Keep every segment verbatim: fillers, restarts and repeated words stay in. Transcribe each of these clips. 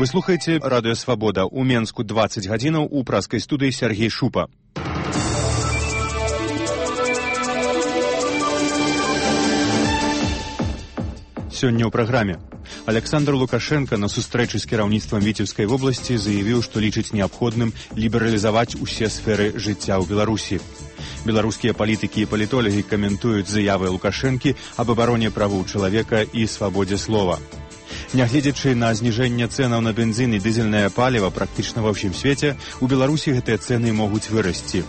Вы слухаеце радыё Свабода. У Менску дваццаць гадзінаў, у праскай студыі Сергей Шупа. Сёння ў праграме. Александр Лукашенко на сустрэчы з кіраўніцтвам Віцебскай вобласці заявіў, што лічыць неабходным лібералізаваць усе сферы жыцця ў Беларусі. Беларускія палітыкі і палітолагі каментуюць заявы Лукашэнкі аб абароне правоў чалавека і свабодзе слова. Нягледзячы на зніжэнне цэнаў на бензін і дызельнае паліва практычна ва ўсім свеце, у Беларусі гэтыя цэны могуць вырасці.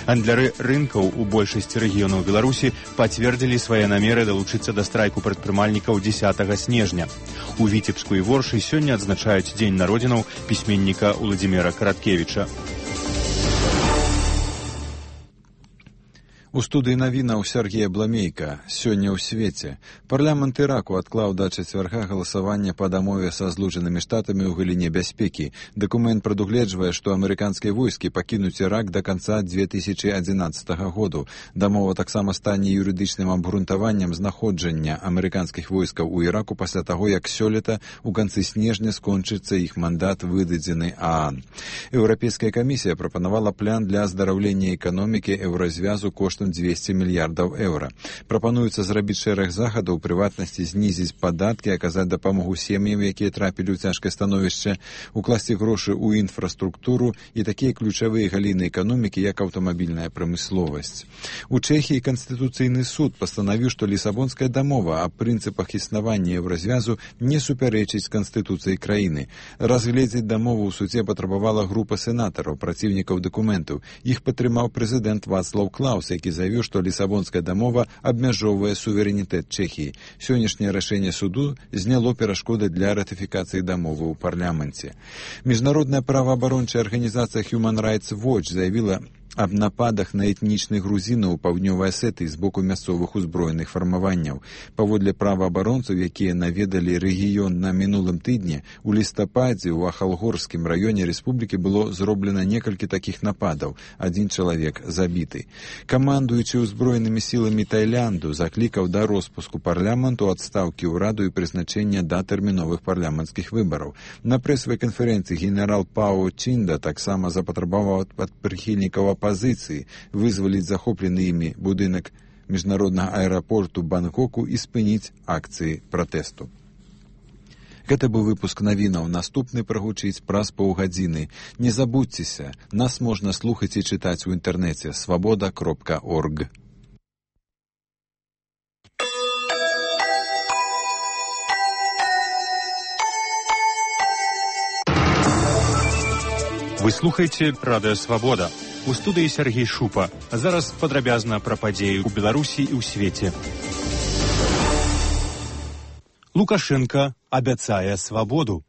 Гандляры рынкаў у большасці рэгіёнаў Беларусі пацвердзілі свае намеры далучыцца да страйку прадпрымальнікаў дзесятага снежня. У Віцебску і Воршы сёння адзначаюць дзень народзінаў пісьменніка Уладзіміра Караткевіча. У студыі навінаў Сергея Бламейка. Сёння ў свеце. Парламент Іраку адклаў да чацвярга галасавання па дамове са Злучанымі Штатамі ў галіне бяспекі. Дакумент прадугледжвае, што амерыканскія войскі пакінуць Ірак да канца две тысячы адзінаццатага году. Дамова таксама стане юрыдычным абгрунтаваннем знаходжання амерыканскіх войскаў у Іраку пасля таго, як сёлета у канцы снежня скончыцца іх мандат, выдадзены ААН. Еўрапейская камісія прапанавала план для аздараўлення эканомікі еўразвязу коштам дзвесце мільярдаў еўра. Прапануецца зрабіць шэраг захадаў, у прыватнасці знізіць падаткі, аказаць дапамогу сем'ям, якія трапілі ў цяжкае становішча, укласці грошы ў інфраструктуру і такія ключавыя галіны эканомікі, як аўтамабільная прамысловасць. У Чэхіі Канстытуцыйны суд пастанавіў, што Лісабонская дамова аб прынцыпах існавання еўразвязу не супярэчыць Канстытуцыі краіны. Разгледзець дамову ў судзе патрабавала група сенатараў, праціўнікаў дакументаў. Іх падтрымаў прэзідэнт Вацлаў Клаус, які заявіў, што Лісабонская дамова абмяжоўвае суверэнітэт Чэхіі. Сённяшняе рашэнне суду зняло перашкоды для ратыфікацыі дамовы ў парламенце. Міжнародная праваабарончая арганізацыя Human Rights Watch заявіла аб нападах на этнічных грузінаў у паўднёвай Асетыі з боку мясцовых узброеных фармаванняў. Паводле праваабаронцаў, якія наведалі рэгіён на мінулым тыдні, у лістападзе ў Ахалгорскім раёне рэспублікі было зроблена некалькі такіх нападаў. Адзін чалавек забіты. Камандуючы ўзброенымі сіламі Таілянду заклікаў да роспуску парламенту, адстаўкі ўраду і прызначэння датэрміновых парламенцкіх выбараў. На прэсавай канферэнцыі генерал Пао Чінда таксама запатрабаваў ад прыхільнікаў апазіцыі вызваліць захоплены імі будынак міжнароднага аэрапорту Бангкоку і спыніць акцыі пратэсту. Гэта быў выпуск навінаў. Наступны прагучыць праз паўгадзіны. Не забудзьцеся, нас можна слухаць і чытаць у інтэрнэце свабода кропка орг. Вы слухаеце радыё Свабода. У студыі Сергей Шупа. Зараз падрабязна пра падзеі ў Беларусі і ў свеце. Лукашенко абяцае свабоду.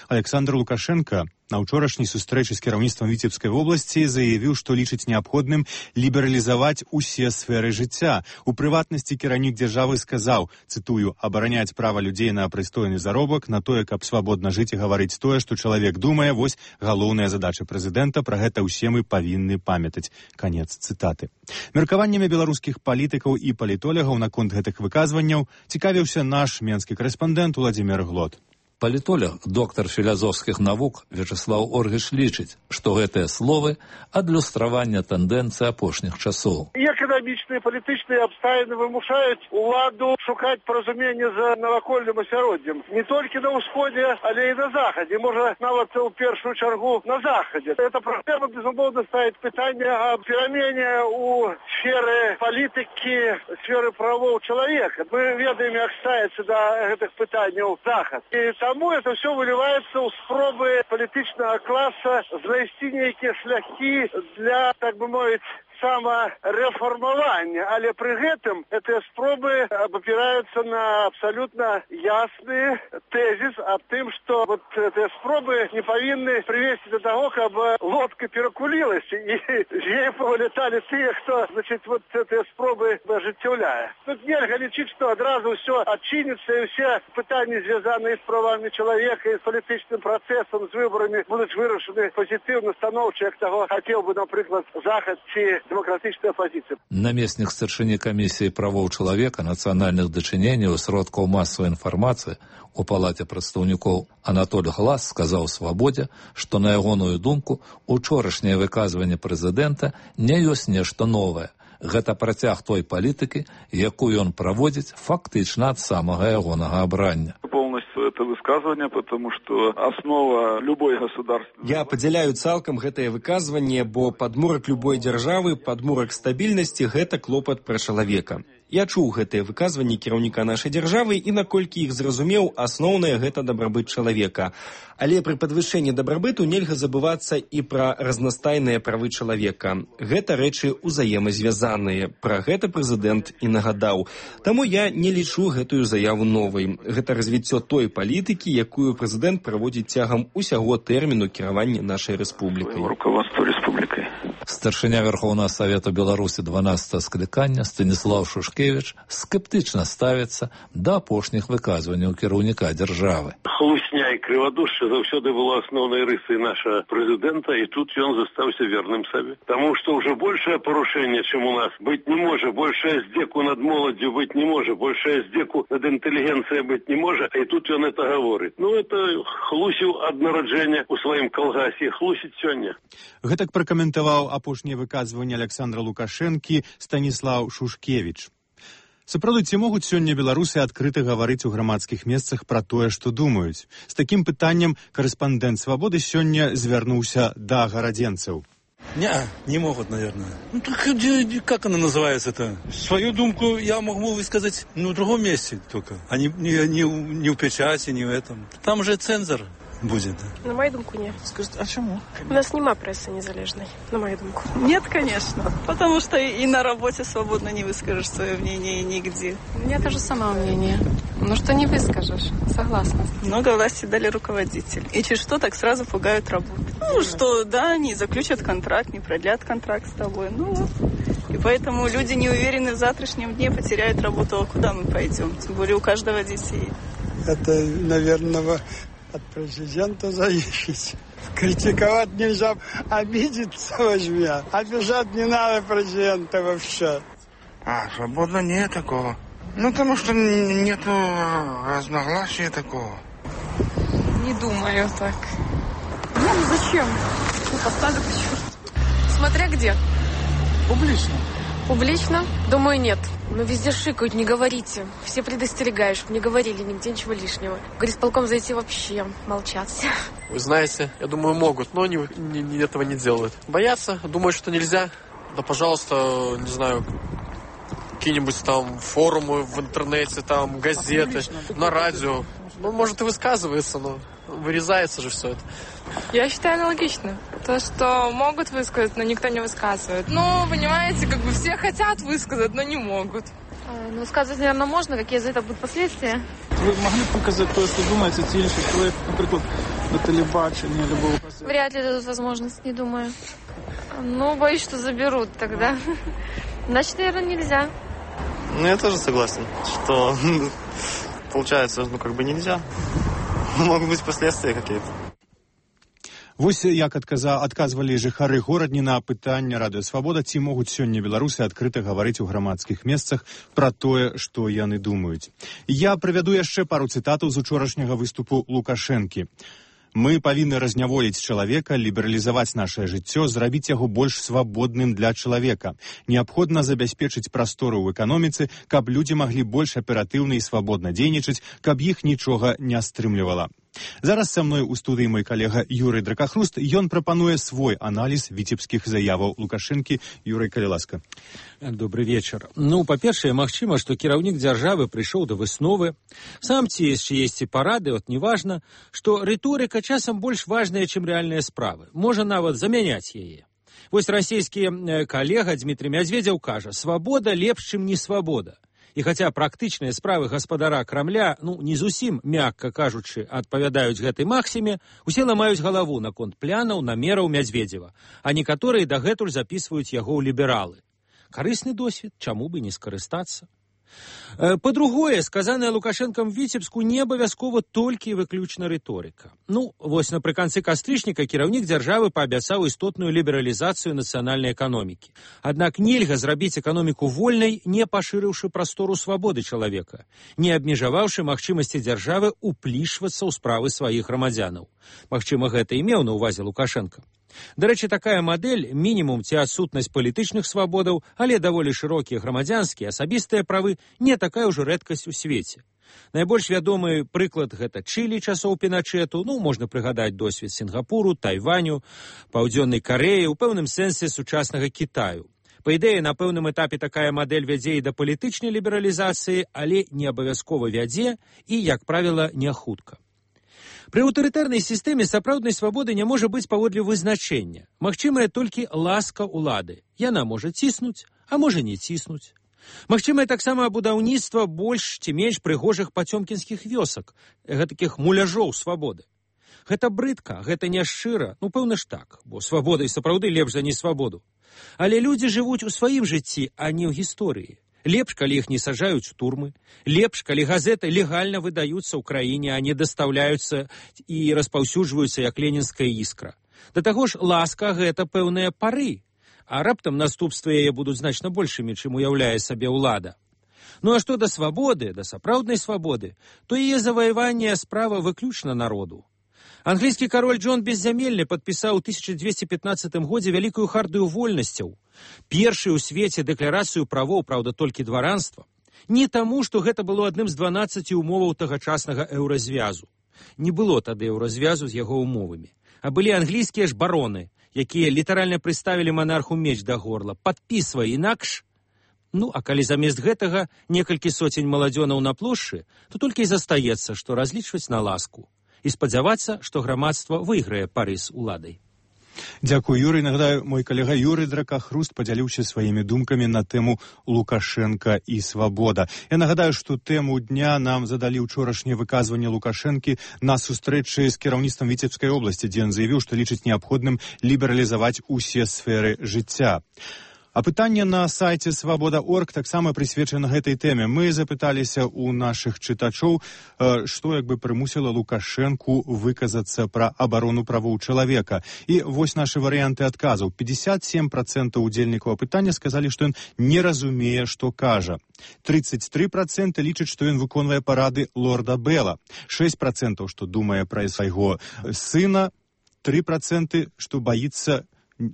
Александр Лукашенко на ўчорашняй сустрэчы з кіраўніцтвам Віцебскай вобласці заявіў, што лічыць неабходным лібералізаваць усе сферы жыцця. У прыватнасці кіраўнік дзяржавы сказаў, цытую, абараняць права людзей на прыстойны заробак, на тое, каб свабодна жыць і гаварыць тое, што чалавек думае, вось галоўная задача прэзідэнта, пра гэта ўсе мы павінны памятаць. Канец цытаты. Меркаваннямі беларускіх палітыкаў і палітолагаў наконт гэтых выказванняў цікавіўся наш менскі карэспандэнт Уладзімір Глот. Палітолог, доктар філазофскіх навук Вячеслав Оргіш лічыць, што гэтыя словы адлюстравання тэндэнцыі апошніх часоў. Эканамічныя і палітычныя абставіны вымушаюць уладу шукаць паразуменне з навакольным асяроддзем. Не толькі на ўсходзе, але і на захадзе. Можа, нават у першую чаргу на захадзе. Эта праблема, безумоўна, ставіць пытанне аб перамене ў сферы палітыкі, сферы правоў чалавека. Мы ведаем, як ставіцца да гэтых пытанняў захад. І Таму это все выливается ў спробы палітычнага класа знайсці нейкія шляхі для, так бы мовіць, самарэфармавання, але пры гэтым гэтыя спробы абапіраюцца на абсалютна ясны тэзіс аб тым, што вот гэтыя спробы не павінны прывесці да таго, каб лодка перакулілася і з яе павыляталі тыя, хто, значит, вот гэтыя спробы ажыццяўляе. Тут нельга лічыць, што адразу ўсё адчыніцца і ўсе пытанні, звязаныя з правамі чалавека і з палітычным працэсам, з выбарамі будуць вырашаны пазітыўна, станоўча, як таго хацеў бы, напрыклад, захад ці демократичная оппозиция. Наместник старшыні камісіі правоў чалавека, нацыянальных дачыненняў, сродкаў масавай інфармацыі у палаце прадстаўнікоў Анатоль Глас сказаў «Свабодзе», што, на ягоную думку, учорашняе выказванне прэзідэнта не ёсць нешта новае. Гэта працяг той палітыкі, якую ён праводзіць фактычна ад самага ягонага абрання. Полностью это высказывание, потому что основа любой государственной... Я падзяляю цалкам гэтае выказванне, бо падмурак любой дзяржавы, падмурак стабільнасці – гэта клопат пра чалавека. Я чуў гэтыя выказванні кіраўніка нашай дзяржавы і, наколькі іх зразумеў, асноўнае гэта дабрабыт чалавека. Але пры падвышэнні дабрабыту нельга забывацца і пра разнастайныя правы чалавека. Гэта рэчы ўзаемазвязаныя. Пра гэта прэзідэнт і нагадаў. Таму я не лічу гэтую заяву новай. Гэта развіццё той палітыкі, якую прэзідэнт праводзіць цягам усяго тэрміну кіравання нашай рэспублікай. Руководство республикой. Старшыня Верховного Совета Беларусі дванаццатага склікання Станіслав Шушкевич скептычна ставіцца да апошніх выказванняў кіраўніка дзяржавы. Хлусня і крывадушча заўсёды было асноўнай рысай нашага прэзідэнта, і тут ён застаўся верным сабе. Таму што ўжо большае парушэнне, чым у нас, быць не можа, большая здзеку над моладдзю быць не можа, большая здзеку над інтэлігенцыяй быць не можа, і тут ён это гаворыць. Ну, это хлусіў ад нараджэння ў сваім калгасе, хлусіць сёння. Гэтак пракаментаваў апошняе выказванне Александра Лукашэнкі Станіслав Шушкевич. Сапраўды, ці могуць сёння беларусы адкрыта гаварыць у грамадскіх месцах пра тое, што думаюць? З такім пытаннем корэспандэнт «Свабоды» сёння звярнуўся да гарадзенцаў. Не, не могут, наверное. Ну, так как она называется-то? Свою думку я могу высказать ну, в другом месте только, а не, не, не, не в печати, не в этом. Там же цензор будет. На мою думку, нет. Скажите, а чему? У нас нема прессы незалежной, на мою думку. Нет, конечно. Потому что и на работе свободно не выскажешь свое мнение нигде. У меня тоже самое мнение. Ну что не выскажешь, согласна. Много власти дали руководитель. И через что так сразу пугают работу. Ну что, да, не заключат контракт, не продлят контракт с тобой. Ну вот. И поэтому люди не уверены в завтрашнем дне, потеряют работу. А куда мы пойдем? Тем более у каждого детей. Это, наверное, от президента зависит. Критиковать нельзя, обидеться возьми. Обижать не надо президента вообще. А, свободно нет такого. Ну, потому что нету разногласия такого. Не думаю так. Ну, зачем? Ну, поставлю к черту. Смотря где. Публично. Публично? Думаю, нет. Но везде шикают, не говорите. Все предостерегаешь, чтобы не говорили нигде ничего лишнего. В горисполком зайти вообще молчат все. Вы знаете, я думаю, могут, но не, не, не, этого не делают. Боятся, думают, что нельзя. Да, пожалуйста, не знаю, какие-нибудь там форумы в интернете, там газеты, на радио. Ну, может, и высказывается, но вырезается же все это. Я считаю аналогично. То, что могут высказать, но никто не высказывает. Ну, понимаете, как бы все хотят высказать, но не могут. Ну, высказывать, наверное, можно. Какие за это будут последствия? Вы могли показать то, что думаете, ті інші человек, например, на телебачении, любого... Вряд ли дадут возможность, не думаю. Ну, боюсь, что заберут тогда. Значит, наверное, нельзя. Ну, я тоже согласен, что получается, ну, как бы нельзя. Могут быть последствия какие-то. Вось як адказа, адказвалі жыхары горадні на пытанне Радыё Свабода, ці могуць сёння беларусы адкрыта гаварыць у грамадскіх месцах пра тое, што яны думаюць. Я прывяду яшчэ пару цытатаў з учорашняга выступу Лукашэнкі. Мы павінны разняволіць чалавека, лібералізаваць нашае жыццё, зрабіць яго больш свабодным для чалавека. Неабходна забяспечыць прастору ў эканоміцы, каб людзі маглі больш аператыўна і свабодна дзейнічаць, каб іх нічога не стрымлівала. Зараз са мной у студыі мой калега Юрый Дракахруст, ён прапануе свой аналіз віцебскіх заяваў Лукашэнкі. Юрый, калі ласка. Добрый вечар. Ну, па-першае, магчыма, што кіраўнік дзяржавы прыйшоў да высновы. Сам ці яшчэ есці парады, от неважна, што рыторыка часам больш важная, чым рэальныя справы. Можа нават замяняць яе. Вось расійскі калега Дмітрий Мядзведзеў кажа: «Свабода лепш, чым не свабода». І хаця практычныя справы гаспадара Крамля, ну, не зусім, мякка кажучы, адпавядаюць гэтай максіме, усе ламаюць галаву наконт плянаў, намераў Мядзведзева, а некаторыя дагэтуль запісваюць яго ў лібералы. Карысны досвед, чаму бы не скарыстацца? Па-другое, сказанае Лукашэнкам Віцебску не абавязкова толькі выключна рыторыка. Ну, вось напрыканцы кастрычніка кіраўнік дзяржавы паабяцаў істотную лібералізацыю нацыянальнай эканомікі. Аднак нельга зрабіць эканоміку вольнай, не пашырыўшы прастору свабоды чалавека, не абмежаваўшы магчымасці дзяржавы ўплішвацца ў справы сваіх грамадзянаў. Магчыма, гэта і меў на ўвазе Лукашэнка. Дарэчы, такая мадэль, мінімум ці адсутнасць палітычных свабодаў, але даволі шырокія грамадзянскія, асабістыя правы, не такая ўжо рэдкасць у свеце. Найбольш вядомы прыклад гэта Чылі часоў Піначэту, ну, можна прыгадаць досвед Сінгапуру, Тайваню, Паўдзённай Карэі, у пэўным сэнсе сучаснага Кітаю. Па ідэі, на пэўным этапе такая мадэль вядзе і да палітычнай лібералізацыі, але не абавязкова вядзе і, як правіла, не хутка. Пры аўтарытарнай сістэме сапраўднай свабоды не можа быць паводле вызначэння. Магчымая толькі ласка ўлады. Яна можа ціснуць, а можа не ціснуць. Магчымае таксама будаўніцтва больш ці менш прыгожых пацёмкінскіх вёсак, гэтакіх муляжоў свабоды. Гэта брыдка, гэта няшчыра, ну пэўна ж так, бо свабода і сапраўды лепш за несвабоду. Але людзі жывуць у сваім жыцці, а не ў гісторыі. Лепш, калі іх не сажаюць у турмы. Лепш, калі газеты легальна выдаюцца ў краіне, а не дастаўляюцца і распаўсюджваюцца як ленінская іскра. Да таго ж, ласка гэта пэўныя пары, а раптам наступствы яе будуць значна большымі, чым уяўляе сабе ўлада. Ну а што да свабоды, да сапраўднай свабоды, то яе заваяванне справа выключна народу. Англійскі кароль Джон Беззямельны падпісаў у тысяча дзвесце пятнаццатым годзе вялікую хартыю вольнасцяў, першую ў свеце дэкларацыю правоў, праўда, толькі дваранства. Не таму, што гэта было адным з дванаццаці умоваў тагачаснага еўразвязу. Не было тады еўразвязу з яго умовамі. А былі англійскія ж бароны, якія літаральна прыставілі манарху меч да горла. Падпісвай інакш. Ну, а калі замест гэтага некалькі соцень маладзёнаў на плошчы, то толькі і застаецца, што разлічваць на ласку. І спадзявацца, што грамадства выйграе пары з уладай. Дзякую, Юрый. Нагадаю, мой калега Юрый Дракахруст падзяліўся сваімі думкамі на тэму Лукашенка і свабода. Я нагадаю, што тэму дня нам задалі ўчорашняе выказванне Лукашэнкі на сустрэчы з кіраўніцтвам Віцебскай обласці, дзе ён заявіў, што лічыць неабходным лібералізаваць усе сферы жыцця. А пытанне на сайце свабода точка орг таксама прысвечана гэтай тэме. Мы запыталіся ў нашых чытачоў, што як бы прымусіла Лукашэнку выказацца пра абарону правоў чалавека. І вось нашы варыянты адказаў. пятьдесят семь процентов удзельнікаў апытання сказалі, што ён не разумее, што кажа. тридцать три процента лічаць, што ён выконвае парады лорда Бэла. шесть процентов, што думае пра свайго сына. три процента, што баіцца,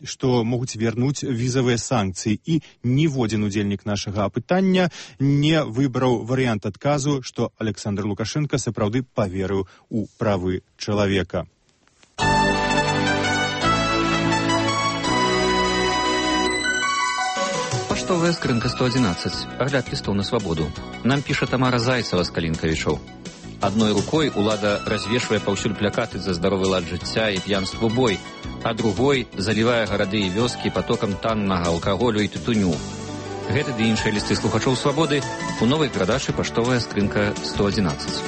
што могуць вярнуць візавыя санкцыі. І ніводзін удзельнік нашага апытання не выбраў варыянт адказу, што Александр Лукашенко сапраўды паверыў у правы чалавека. Паштовая скрынка сто одиннадцать. Агляд лістоў на свабоду. Нам піша Тамара Зайцева з Калінкавічоў. Адной рукой улада развешвае паўсюль плакаты за здаровы лад жыцця і п'янству бой, а другой залівае гарады і вёскі потокам таннага алкаголю і тытуню. Гэты ды іншыя лісты слухачоў свабоды у новай перадачы «Паштовая скрынка сто одиннадцать».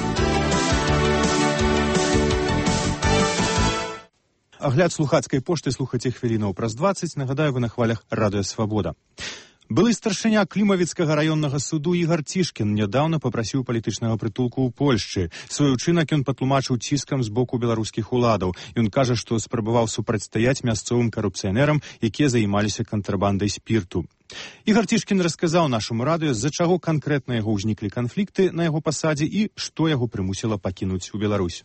Агляд слухацкай пошты слухаце хвілінаў праз дваццаць. Нагадаю, вы на хвалях радыё «Свабода». Былы старшыня Клімавіцкага раённага суду Ігар Цішкін нядаўна папрасіў палітычнага прытулку ў Польшчы. Свой учынак ён патлумачыў ціскам з боку беларускіх уладаў. Ён кажа, што спрабаваў супрацьстаяць мясцовым карупцыянерам, якія займаліся кантрабандай спірту. Ігар Цішкін расказаў нашаму радыё, з-за чаго канкрэтна яго ўзніклі канфлікты на яго пасадзе і што яго прымусіла пакінуць у Беларусь.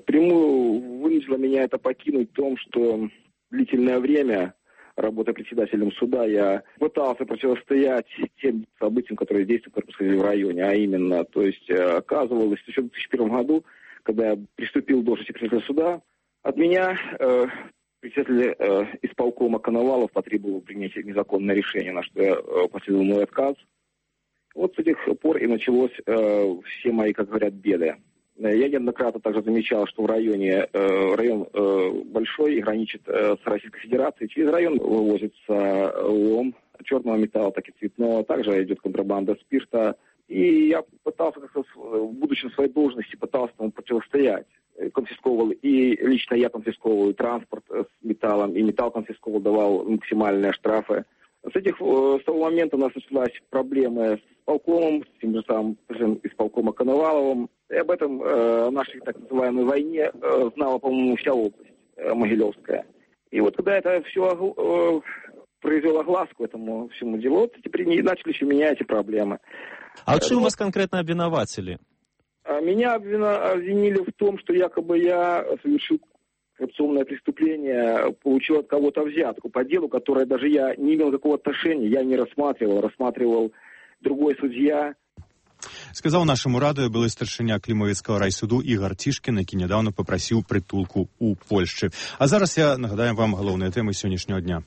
Прямую вынудило меня это покинуть в том, что длительное время, работая председателем суда, я пытался противостоять тем событиям, которые действия происходили в районе, а именно, то есть оказывалось, еще в две тысячи первом году, когда я приступил к должности председателя суда, от меня э, председатель э, исполкома Коновалов потребовал принять незаконное решение, на что я э, последовал мой отказ. Вот с этих пор и началось э, все мои, как говорят, беды. Я неоднократно также замечал, что в районе, э, район э, большой и граничит э, с Российской Федерацией. Через район вывозится лом черного металла, так и цветного. Также идет контрабанда спирта. И я пытался, как-то, будучи на своей должности, пытался ему противостоять. Конфисковывал, и лично я конфисковывал транспорт с металлом, и металл конфисковывал, давал максимальные штрафы. С, этих, с того момента у нас началась проблема с исполкомом, с тем же самым президентом исполкома Коноваловым. И об этом э, нашей так называемой войне э, знала, по-моему, вся область э, Могилевская. И вот когда это все э, произвело огласку этому всему делу, вот теперь не начались у меня эти проблемы. А вот что у вас конкретно обвинуватели? Меня обвинили в том, что якобы я совершил коррупционное преступление, получил от кого-то взятку по делу, которое даже я не имел никакого отношения, я не рассматривал, рассматривал другой судья. Сказаў нашаму радыё былы старшыня Клімавіцкага райсуду Ігар Цішкін, які нядаўна папрасіў прытулку ў Польшчы. А зараз я нагадаем вам галоўныя тэмы сённяшняга дня.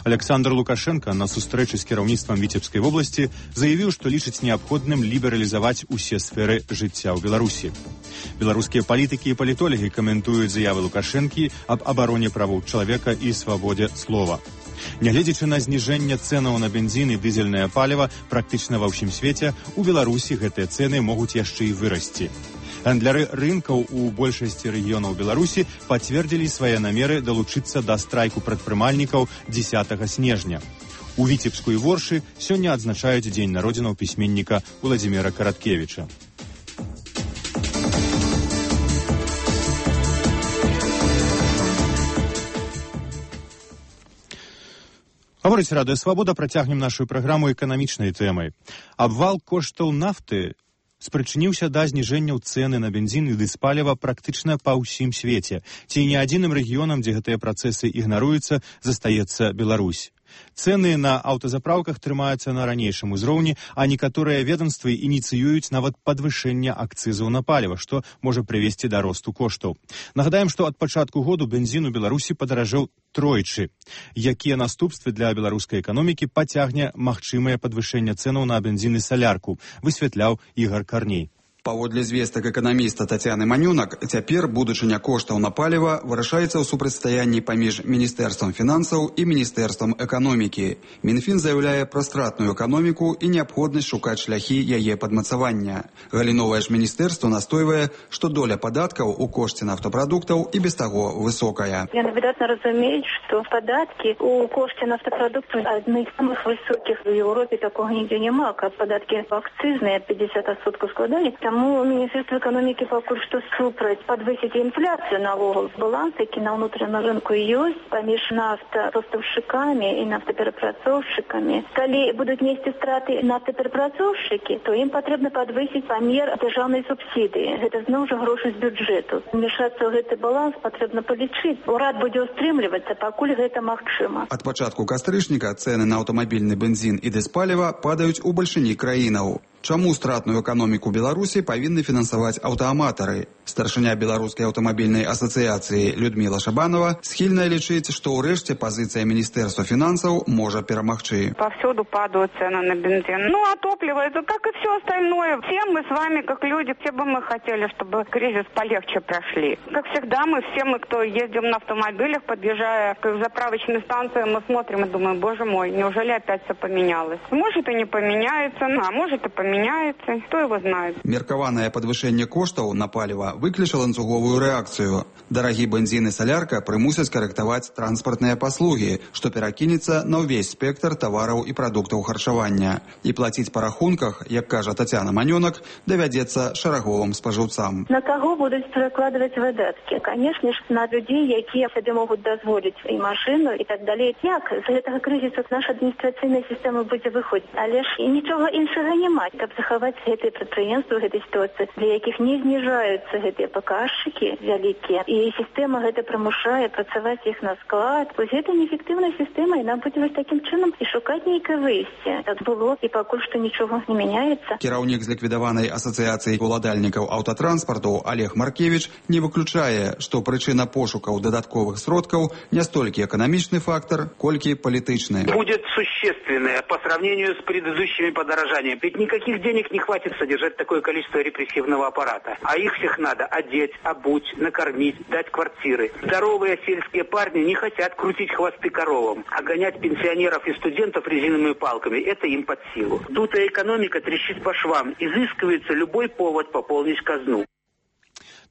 Александр Лукашенко на сустрэчы з кіраўніцтвам Віцебскай вобласці заявіў, што лічыць неабходным лібералізаваць усе сферы жыцця ў Беларусі. Беларускія палітыкі і палітолагі каментуюць заявы Лукашэнкі аб абароне правоў чалавека і свабодзе слова. Нягледзячы на зніжэнне цэнаў на бензін і дызельнае паліва практычна ва ўсім свеце, у Беларусі гэтыя цэны могуць яшчэ і вырасці. Гандляры рынкаў у большасці рэгіёнаў Беларусі пацвердзілі свае намеры далучыцца да страйку прадпрымальнікаў дзесятага снежня. У Віцебску і Воршы сёння адзначаюць дзень народзінаў пісьменніка Уладзіміра Караткевіча. Гаворыць Радыё Свабода, працягнем нашу праграму эканамічнай тэмай. Абвал коштаў нафты спрычыніўся да зніжэнняў цэны на бензін і дызпаліва практычна па ўсім свеце. Ці не адзіным рэгіёнам, дзе гэтыя працэсы ігнаруюцца, застаецца Беларусь. Цэны на аўтазапраўках трымаюцца на ранейшым узроўні, а некаторыя ведомствы ініцыююць нават падвышэнне акцызаў на паліва, што можа прывесці да росту коштаў. Нагадаем, што ад пачатку году бензін у Беларусі падаражэў тройчы. Якія наступствы для беларускай эканомікі пацягне магчымае падвышэнне цэнаў на бензін і салярку, высвятляў Ігар Карней. Паводле звестак эканаміста Тацяны Манюнак, цяпер будучыня коштаў на паліва вырашаецца ў супрацьстаянні паміж Міністэрствам фінансаў і Міністэрствам эканомікі. Мінфін заяўляе пра стратную эканоміку і неабходнасць шукаць шляхі яе падмацавання. Галіновае ж міністэрства настойвае, што доля падаткаў у кошце нафтапрадуктаў і без таго высокая. Яны выдатна разумеюць, што падаткі у кошце нафтапрадуктаў адны з самых высокіх у Еўропе, такога нідзе няма, каб падаткі акцызныя пятьдесят адсоткаў складалі. Тому Министерство экономики пакуль што супраць падвысіць інфляцыю наогул. Баланс, які на ўнутраным рынку ёсць паміж нафтапастаўшчыкамі і нафтаперапрацоўшчыкамі. Калі будуць несці страты нафтаперапрацоўшчыкі, то ім патрэбна падвысіць памер дзяржаўнай субсідыі. Гэта зноў жа грошы з бюджэту. Умешацца ў гэты баланс патрэбна палічыць. Урад будзе ўстрымлівацца, пакуль гэта магчыма. Ад пачатку кастрычніка цэны на аўтамабільны бензін і дызпаліва падаюць у бальшыні краінаў. Чаму стратную эканоміку Беларусі павінны фінансаваць аўтааматары? Старшыня Беларускай аўтамабільнай асацыяцыі Людміла Шабанова схільная лічыць, што ўрэшце пазіцыя Міністэрства фінансаў можа перамагчы. Повсюду падают цены на бензин. Ну, а топливо, это как и все остальное. Все мы с вами, как люди, все бы мы хотели, чтобы кризис полегче прошли. Как всегда, мы все, мы, кто ездим на автомобилях, подъезжая к заправочной станции, мы смотрим и думаем, боже мой, неужели опять все поменялось? Может и не поменяется, а может и поменяется. Меняется, кто его знает. Меркаванае падвышэнне коштаў на паліва выкліча ланцуговую рэакцыю. Дарагі бензін і салярка прымусяць карэктаваць транспартныя паслугі, што перакінецца на ўвесь спектр тавараў і прадуктаў харчавання. І плаціць па рахунках, як кажа Тацяна Манюнак, давядзецца шараговым спажыўцам. На каго будуць перакладваць выдаткі? Канешне ж, на людзей, якія сабе могуць дазволіць і машыну і так далей. Як з гэтага крызісу наша адміністрацыйная сістэма будзе выходзіць? Але ж і нічога іншага няма. Каб захаваць гэтыя прадпрыемствы ў гэтай сітуацыі, для якіх не зніжаюцца гэтыя паказчыкі вялікія, і сістэма гэта прымушае працаваць іх на склад. Вось гэта неэфектыўная сістэма, і нам будзе вось такім чынам і шукаць нейкае выйсце. Так было, і пакуль што нічога не мяняецца. Кіраўнік з ліквідаванай асацыяцыі уладальнікаў аўтатранспарту Олег Маркевіч не выключае, што прычына пошукаў дадатковых сродкаў не столькі эканамічны фактор, колькі палітычны. Будет существенное по сравнению с предыдущими подорожаниями. Ведь никаких денег не хватит содержать такое количество репрессивного аппарата. А их всех надо одеть, обуть, накормить, дать квартиры. Здоровые сельские парни не хотят крутить хвосты коровам, а гонять пенсионеров и студентов резиновыми палками. Это им под силу. Дутая экономика трещит по швам. Изыскивается любой повод пополнить казну.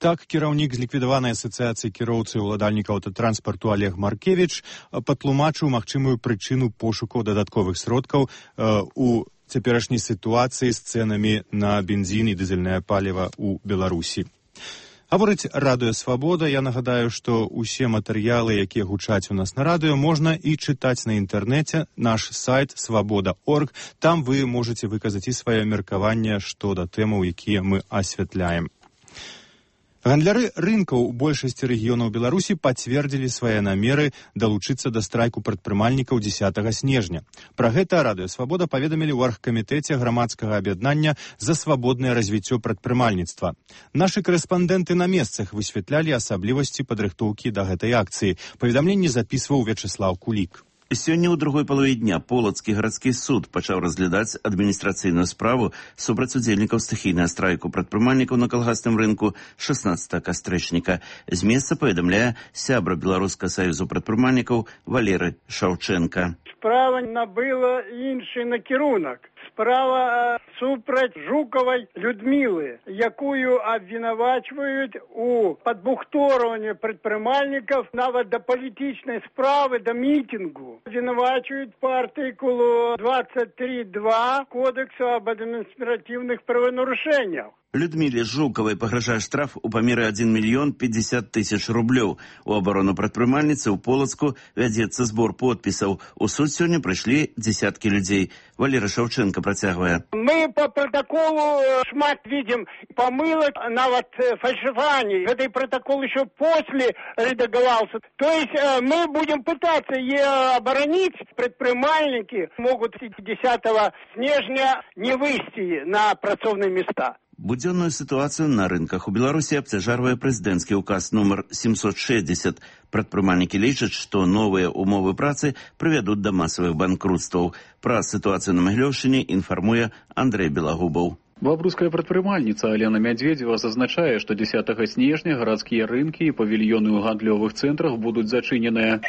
Так, кіраўнік зліквідаванай асацыяцыі кіроўцаў і ўладальнікаў аўтатранспарту Олег Маркевіч патлумачыў магчымую прычыну пошукаў дадатковых сродкаў э, у цяперашняй сітуацыі з цэнамі на бензін і дызельнае паліва ў Беларусі. Гаворыць Радыё Свабода. Я нагадаю, што ўсе матэрыялы, якія гучаць у нас на радыё, можна і чытаць на інтэрнэце. Наш сайт свабода точка орг. Там вы можаце выказаць і сваё меркаванне што да тэмаў, якія мы асвятляем. Гандляры рынкаў у большасці рэгіёнаў Беларусі пацвердзілі свае намеры далучыцца да страйку прадпрымальнікаў дзесятага снежня. Пра гэта Радыё Свабода паведамілі ў аргкамітэце грамадскага аб'яднання за свабоднае развіццё прадпрымальніцтва. Нашы корэспандэнты на месцах высвятлялі асаблівасці падрыхтоўкі да гэтай акцыі. Паведамленне запісваў Вячеслав Кулік. Сёння ў другой палове дня Полацкі гарадскі суд пачаў разглядаць адміністрацыйную справу супраць удзельнікаў стыхійнага страйку прадпрымальнікаў на калгасным рынку шаснаццатага кастрычніка. З месца паведамляе сябра Беларускага саюзу прадпрымальнікаў Валеры Шаўчэнка. Справа набыла іншы накірунак. Справа супраць Жукавай Людмілы, якую абвінавачваюць у падбухторванні прадпрымальнікаў нават да палітычнай справы, да мітынгу. Абвінавачваюць па артыкулу двадцать три два Кодексу об адміністратыўных праванарушэннях. Людміле Жукавай пагражае штраф у памеры адзін мільён пятьдесят тысяч рублёў. У абарону прадпрымальніцы ў Полацку вядзецца збор подпісаў. У суд сёння прыйшлі дзесяткі людзей. Валера Шаўчэнка працягвае. Мы по протоколу шмат видим помылок, нават фальшиваний. Этот протокол еще после редагировался. То есть мы будем пытаться ее оборонить. Предпринимальники могут десятого снежня не выйти на працоўныя места. Будзённую сітуацыю на рынках у Беларусі абцяжарвае прэзідэнцкі ўказ нумар семьсот шестьдесят. Прадпрымальнікі лічаць, што новыя умовы працы прывядуць да масавых банкрутстваў. Пра сітуацыю на Магілёўшчыне інфармуе Андрэй Белагубаў. Бабруйская прадпрымальніца Алена Мядзведзева зазначае, што дзесятага снежня гарадскія рынкі і павільёны ў гандлёвых цэнтрах будуць зачыненыя.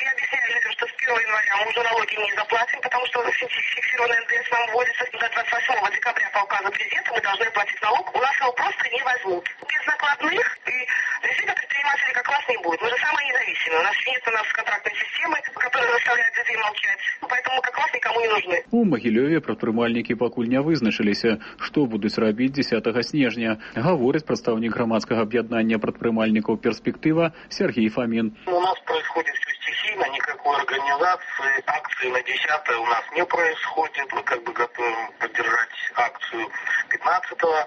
первого января мы уже налоги не заплатим, потому что фиксированный эн дэ эс нам вводится до двадцать восьмого декабря по указу президента, мы должны платить налог, у нас его просто не возьмут. Без накладных и действительно предпринимателей как вас не будет. Мы же самые независимые, у нас нет у нас контрактной системы, которая заставляет людей молчать, поэтому как вас никому не нужны. У Магілёве прадпрымальнікі пакуль не вызначыліся, што будуць рабіць дзесятага снежня, гаворыць прадстаўнік грамадскага аб'яднання прадпрымальнікаў «Перспектыва» Сергей Фомин. У нас происходит все стихийно, никакой организации, акции на десятое у нас не происходит. Мы как бы готовим поддержать акцию пятнадцатого,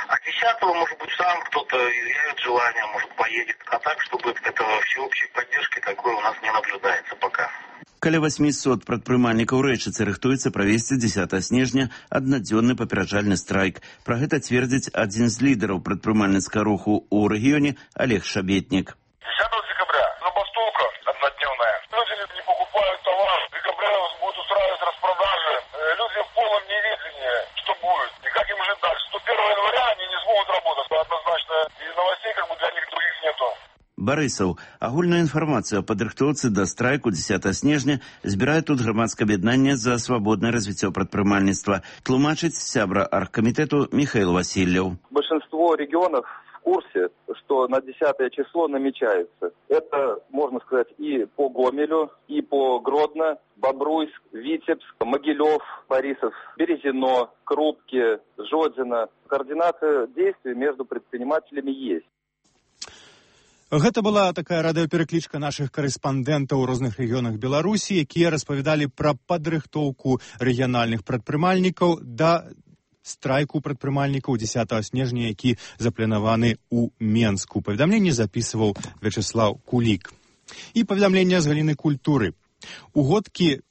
а десятого, может быть, сам кто-то изъявит желание, может, поедет. А так, чтобы этого всеобщей поддержки такой у нас не наблюдается пока. Каля восьмісот прадпрымальнікаў рэчыцы рыхтуецца правесці дзесятага снежня аднадзённы папераджальны страйк. Пра гэта цвердзіць адзін з лідараў прадпрымальніцкага руху ў рэгіёне Олег Шабетнік. десятого декабря забастовка однодневная. Люди не покупают товар. В декабре будут устраивать распродажи. Люди в полном неведении, что будет. И как им жить дальше. Что первого января они не смогут работать. Однозначно. И новостей как бы для них других нету. Барысаў. Агульную інфармацыю о падрыхтоўцы да страйку дзесятага снежня збірае тут грамадскае аб'яднанне за свабоднае развіццё прадпрымальніцтва. Тлумачыць сябра аргкамітэту Михаил Васильев. Большинство регионов в курсе, что на десятое число намечается. Это, можно сказать, и по Гомелю, и по Гродно, Бобруйск, Витебск, Могилев, Борисов, Березино, Крупки, Жодино. Координация действий между предпринимателями есть. Гэта была такая радыёпераклічка нашых корэспандэнтаў у розных рэгіёнах Беларусі, якія распавядалі пра падрыхтоўку рэгіянальных прадпрымальнікаў да страйку прадпрымальнікаў дзесятага снежня, які запланаваны ў Менску. Паведамленне запісваў Вячеслав Кулік. І паведамленне з галіны культуры. У годкі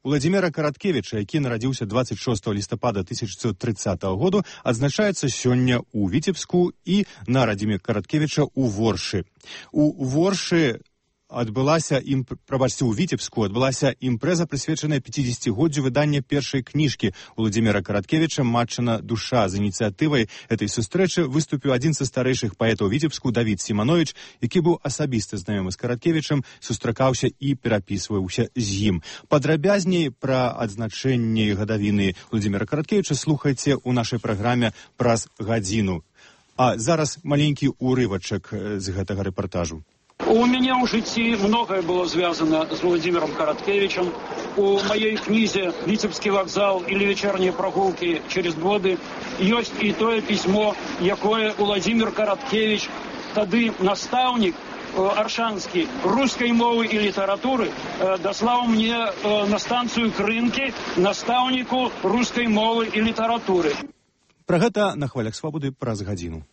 Владзіміра Караткевіча, які нарадзіўся двадцать шестого лістапада тысяча девятьсот тридцатого году, адзначаецца сёння ў Віцебску і на радзіме Караткевіча ў Воршы. У Воршы адбылася ім, прабачце, у Віцебску адбылася імпрэза, прысвечаная пяцідзесяцігоддзю выдання першай кніжкі Владзіміра Караткевіча «Матчына душа». З ініцыятывай этой сустрэчы выступіў адзін са старэйшых паэтаў Віцебску Давід Сіманович, які быў асабіста знаёмы з Караткевічам, сустракаўся і перапісваўся з ім. Падрабязней пра адзначэнне гадавіны Владзіміра Караткевіча слухайце ў нашай праграме праз гадзіну. А зараз маленькі урывачак з гэтага рэпартажу. У меня в житті многое было связано с Владимиром Короткевичем. У моей книзе «Витебский вокзал» или «Вечерние прогулки через годы» есть и то письмо, якое Владимир Короткевич, тады наставник аршанскі рускай мовы і літаратуры, даслаў мне на станцыю Крынкі настаўніку рускай мовы і літаратуры. Пра гэта на хвалях свабоды праз гадзіну.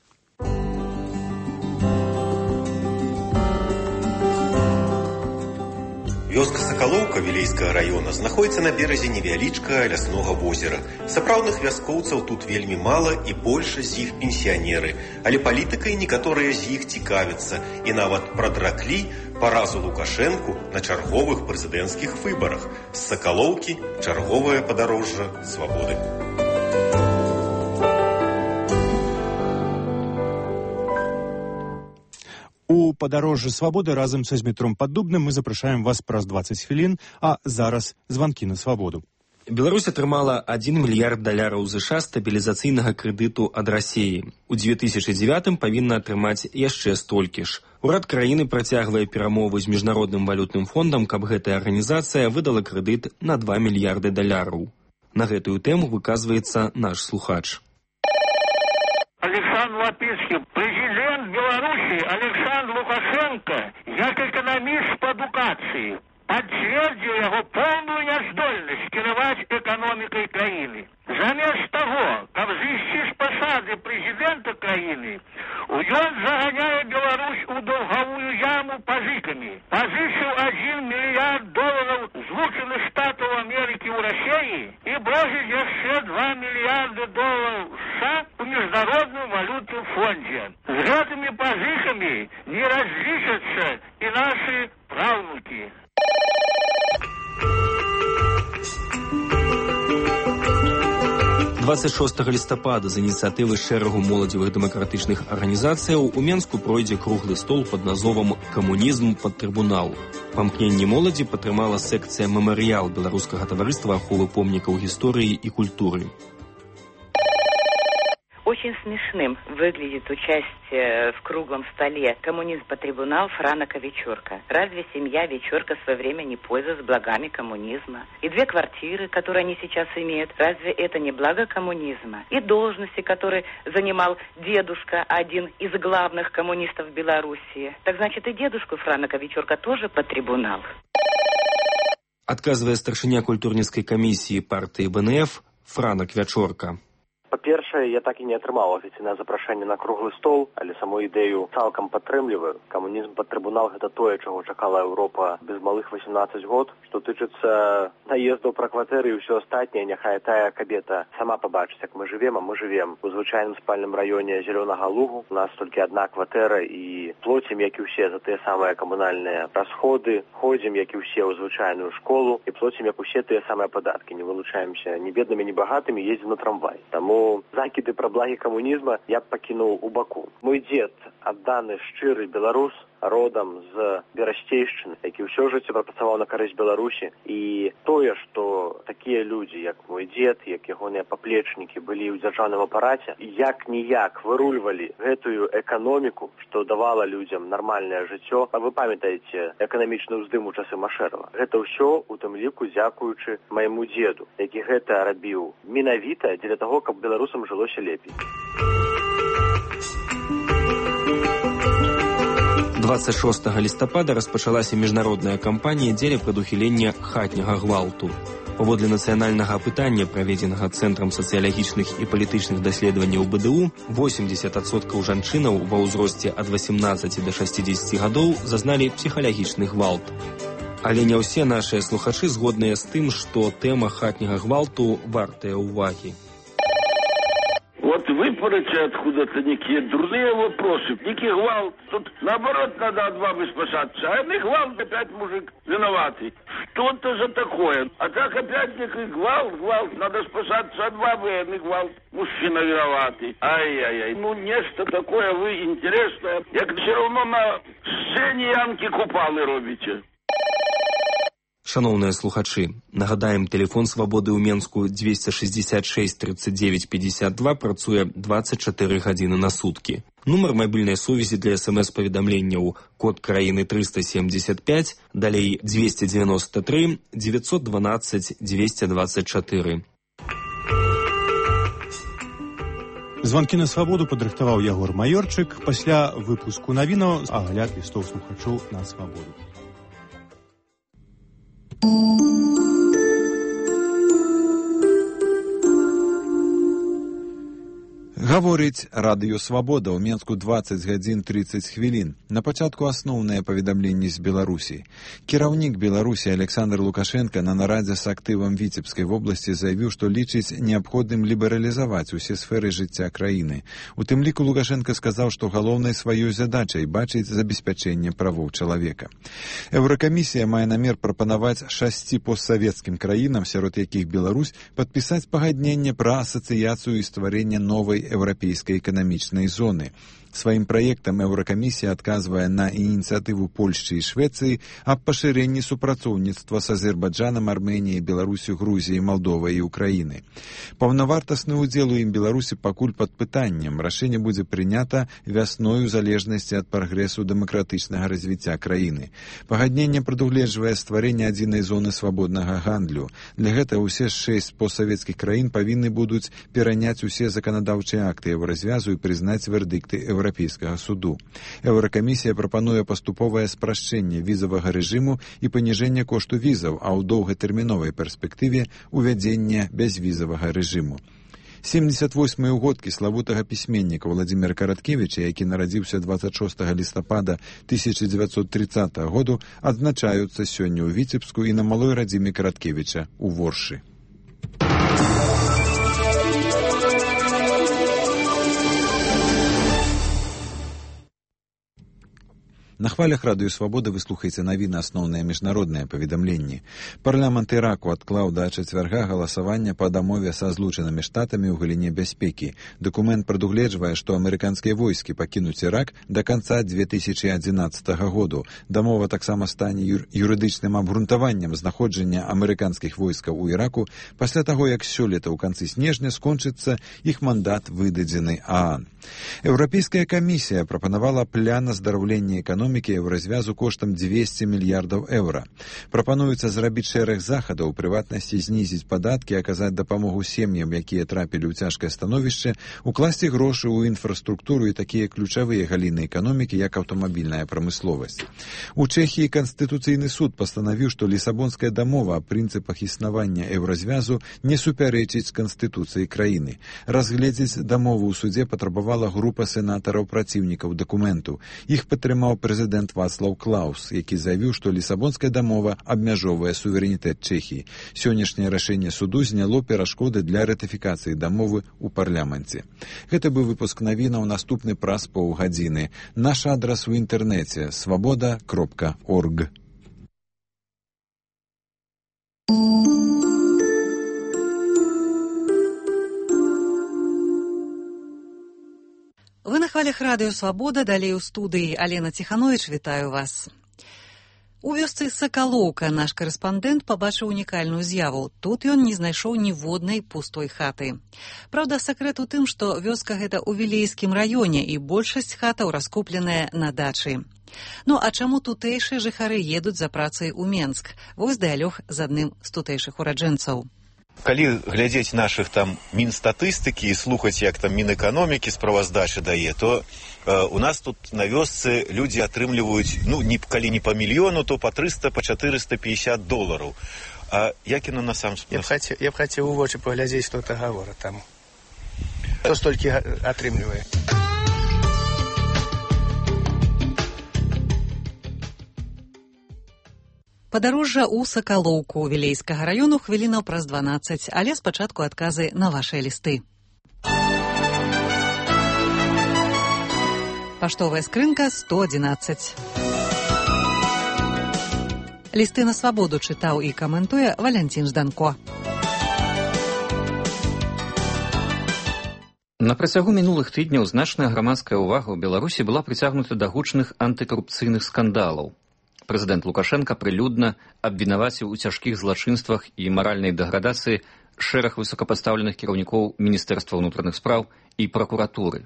Вёска Сакалоўка Вілейскага раёна знаходзіцца на беразе невялічкага ляснога возера. Сапраўдных вяскоўцаў тут вельмі мала і большасць з іх пенсіянеры, але палітыкай некаторыя з іх цікавяцца і нават прадраклі паразу Лукашэнку на чарговых прэзідэнцкіх выбарах. З Сакалоўкі чарговае падарожжа свабоды. У падарожжы свабоды разам са Змітром Паддубным мы запрашаем вас праз дваццаць хвілін, а зараз званкі на свабоду. Беларусь атрымала адзін мільярд даляраў ЗША стабілізацыйнага крэдыту ад Расіі. У дзве тысячы дзевятым павінна атрымаць яшчэ столькі ж. Урад краіны працягвае перамовы з міжнародным валютным фондам, каб гэтая арганізацыя выдала крэдыт на два мільярды даляраў. На гэтую тэму выказваецца наш слухач. Александр Лапинский, президент Беларуси Александр Лукашенко, як экономист по адукации, подтвердил его полную няздольность кіраваць экономикой краины. Замест того, как зайсці з посады президента краины, он загоняет Беларусь у долговую яму позыками. Позычил один миллиард долларов Злученных Штатов Америки у России и бросит еще два миллиарда долларов США у Международном валютном фонде. С этими позыками не различатся и наши правнуки. дваццаць шостага лістапада з ініцыятывы шэрагу моладзевых дэмакратычных арганізацыяў у Менску пройдзе круглы стол пад назовам «Камунізм пад трыбунал». Памкненне моладзі падтрымала секцыя «Мемарыял» Беларускага таварыства аховы помнікаў гісторыі і культуры. Очень смешным выглядит участие в круглом столе «Коммунизм по трибунал» Франака Вечерка. Разве семья Вечерка в свое время не пользовалась благами коммунизма? И две квартиры, которые они сейчас имеют, разве это не благо коммунизма? И должности, которые занимал дедушка, один из главных коммунистов Белоруссии. Так значит, и дедушку Франака Вечерка тоже по трибунал. Адказвае старшыня культурніцкай камісіі партыі БНФ Франак Вячорка. Па-першае, я так і не атрымаў афіцыйнае запрашэнне на круглы стол, але саму ідэю цалкам падтрымліваю. Камунізм пад трыбунал – гэта тое, чаго чакала Еўропа без малых восемнадцаць год. Што тычыцца наездаў пра кватэры і ўсё астатняе, няхай тая кабета сама пабачыць, як мы жывем, а мы жывем у звычайным спальным раёне Зялёнага Лугу. У нас толькі адна кватэра і плоцім, як і ўсе, за тыя самыя камунальныя расходы, ходзім, як і ўсе, ў звычайную школу і плоцім, як усе тыя самыя падаткі. Не вылучаемся ні беднымі, ні багатымі, ездзім на трамвай. Таму закіды пра благі камунізма я б пакінуў у баку. Мой дзед, адданы шчыры беларус, родам з Берасцейшчыны, які ўсё жыццё прапрацаваў на карысць Беларусі. І тое, што такія людзі, як мой дзед, як ягоныя паплечнікі былі ў дзяржаўным апараце, як-ніяк вырульвалі гэтую эканоміку, што давала людзям нармальнае жыццё. А вы памятаеце эканамічны ўздым у часы Машэрава. Гэта ўсё, у тым ліку, дзякуючы майму дзеду, які гэта рабіў менавіта дзеля таго, каб беларусам жылося лепей. дваццаць шостага лістапада распачалася міжнародная кампанія дзеля прадухілення хатняга гвалту. Паводле нацыянальнага апытання, праведзенага Цэнтрам сацыялагічных і палітычных даследаванняў БДУ, восемьдесят адсоткаў жанчынаў ва ўзросце ад восемнадцаці да шасцідзесяці гадоў зазналі псіхалагічны гвалт. Але не ўсе нашыя слухачы згодныя з тым, што тэма хатняга гвалту вартая ўвагі. Вот выпороть откуда-то некие дурные вопросы, некий гвалт. Тут наоборот надо от бабы спасаться, а не гвалт, опять мужик виноватый. Что-то за такое. А так опять некий гвалт, гвалт, надо спасаться от бабы, а не гвалт. Мужчина виноватый. Ай-яй-яй. Ну, нечто такое вы интересное. Як все равно на сцене Янки Купалы робите. Шановныя слухачы, нагадаем, телефон свабоды ў Менску двести шестьдесят шесть тридцать девять пятьдесят два працуе двадцать четыре гадзіны на суткі. Нумар мабільнай сувязі для смс-паведамленняў код краіны триста семьдесят пять, далей двести девяносто три девятьсот двенадцать двести двадцать четыре. Званкі на свабоду падрыхтаваў Ягор Маёрчык. Пасля выпуску навінаў агляд лістоў слухачоў на свабоду. Гаворыць радыё «Свабода» ў Менску двадцать гадзін тридцать хвілін. На пачатку асноўныя паведамленні з Беларусі. Кіраўнік Беларусі Александр Лукашенко на нарадзе з актывам Віцебскай вобласці заявіў, што лічыць неабходным лібералізаваць усе сферы жыцця краіны. У тым ліку Лукашенко сказаў, што галоўнай сваёй задачай бачыць забеспячэнне правоў чалавека. Еўракамісія мае намер прапанаваць шасці постсавецкім краінам, сярод якіх Беларусь, падпісаць пагадненне пра асацыяцыю і стварэнне новай еўрапейскай эканамічнай зоны. Сваім праектам Еўракамісія адказвае на ініцыятыву Польшчы і Швецыі аб пашырэнні супрацоўніцтва з Азербайджанам, Арменіяй, Беларусю, Грузіяй, Малдовай і Украіны. Паўнавартасны ўдзел у ім Беларусі пакуль пад пытаннем. Рашэнне будзе прынята вясной у залежнасці ад прагрэсу дэмакратычнага развіцця краіны. Пагадненне прадугледжвае стварэнне адзінай зоны свабоднага гандлю. Для гэтага ўсе шэсць постсавецкіх краін павінны будуць пераняць усе заканадаўчыя акты еўразвязу і прызнаць вердыкты Еўрапейскага суду. Еўракамісія прапануе паступовае спрашчэнне візавага рэжыму і паніжэнне кошту візаў, а ў доўгатэрміновай перспектыве увядзенне бязвізавага рэжыму. семьдесят восьмыя ўгодкі славутага пісьменніка Владзіміра Караткевіча, які нарадзіўся двадцать шостага лістапада тысяча девятьсот тридцатого году, адзначаюцца сёння ў Віцебску і на малой радзіме Караткевіча ў Воршы. На хвалях радыё «Свабода» вы слухаеце навіны асноўныя міжнародныя паведамленні. Парламент Іраку адклаў да чацвярга галасавання па дамове са злучанымі штатамі ў галіне бяспекі. Дакумент прадугледжвае, што амерыканскія войскі пакінуць Ірак да канца две тысячи адзінаццатага году. Дамова таксама стане юр юрыдычным абгрунтаваннем знаходжання амерыканскіх войскаў у Іраку пасля таго, як сёлета ў канцы снежня скончыцца іх мандат, выдадзены ААН. Еўрапейская камісія прапанавала план аздараўлення эканомікі еўразвязу коштам двести мільярдаў еўра. Прапануецца зрабіць шэраг захадаў, у прыватнасці знізіць падаткі, аказаць дапамогу сем'ям, якія трапілі ў цяжкае становішча, укласці грошы ў інфраструктуру і такія ключавыя галіны эканомікі, як аўтамабільная прамысловасць. У Чэхіі Канстытуцыйны суд пастанавіў, што Лісабонская дамова аб прынцыпах існавання еўразвязу не супярэчыць Канстытуцыі краіны. Разгледзець дамову ў судзе патрабавала група сенатараў праціўнікаў дакументу. Іх падтрымаў прэзідэнт Вацлаў Клаус, які заявіў, што Лісабонская дамова абмяжоўвае суверэнітэт Чэхіі. Сённяшняе рашэнне суду зняло перашкоды для ратыфікацыі дамовы ў парламенце. Гэта быў выпуск навінаў, наступны праз паўгадзіны. Наш адрас у інтэрнэце свабода кропка орг. Вы на хвалях радыё «Свабода», далей у студыі Алена Ціхановіч, вітаю вас. У вёсцы Сакалоўка наш карэспандэнт пабачыў унікальную з'яву. Тут ён не знайшоў ніводнай пустой хаты. Праўда, сакрэт у тым, што вёска гэта ў Вілейскім раёне і большасць хатаў раскупленая на дачы. Ну, а чаму тутэйшыя жыхары едуць за працай у Менск? Вось дыялог з адным з тутэйшых ураджэнцаў. Калі глядзець нашых там мінстатыстыкі і слухаць, як там Мінэканомікі справаздачы дае, то э, у нас тут на вёсцы людзі атрымліваюць, ну, не, калі не па мільёну, то па трыста, па чатырыста пятьдесят долараў. А як яно на сам спосаб? Я б хацеў, я б хацеў у вочы паглядзець, што это гавора там. Хто столькі атрымлівае? Падарожжа ў Сакалоўку Вілейскага раёну хвілінаў праз дванаццаць, але спачатку адказы на вашыя лісты. Паштовая скрынка сто адзінаццаць. Лісты на свабоду чытаў і каментуе Валянцін Жданко. На працягу мінулых тыдняў значная грамадская ўвага ў Беларусі была прыцягнута да гучных антыкарупцыйных скандалаў. Прэзідэнт Лукашенка прылюдна абвінаваціў у цяжкіх злачынствах і маральнай дэградацыі шэраг высокапастаўленых кіраўнікоў Міністэрства ўнутраных спраў і пракуратуры.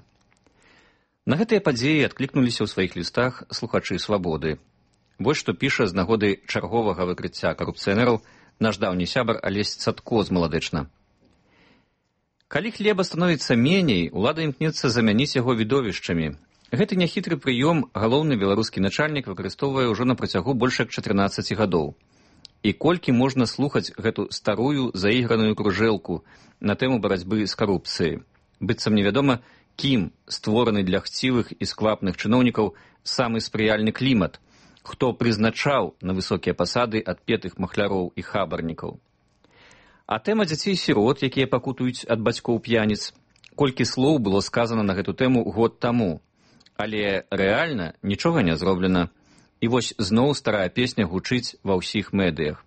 На гэтыя падзеі адклікнуліся ў сваіх лістах слухачы «Свабоды». Вось што піша з нагоды чарговага выкрыцця карупцыянераў наш даўні сябар Алесь Цадко з Маладэчна. Калі хлеба становіцца меней, улада імкнецца замяніць яго відовішчамі. Гэты няхітры прыём галоўны беларускі начальнік выкарыстоўвае ўжо на працягу больш як чатырнаццаці гадоў. І колькі можна слухаць гэту старую заіграную кружэлку на тэму барацьбы з карупцыяй. Быццам невядома, кім створаны для хцівых і сквапных чыноўнікаў самы спрыяльны клімат, хто прызначаў на высокія пасады адпетых махляроў і хабарнікаў. А тэма дзяцей-сірот, якія пакутуюць ад бацькоў п'яніц, колькі слоў было сказана на гэту тэму год таму, але рэальна нічога не зроблена. І вось зноў старая песня гучыць ва ўсіх медыях.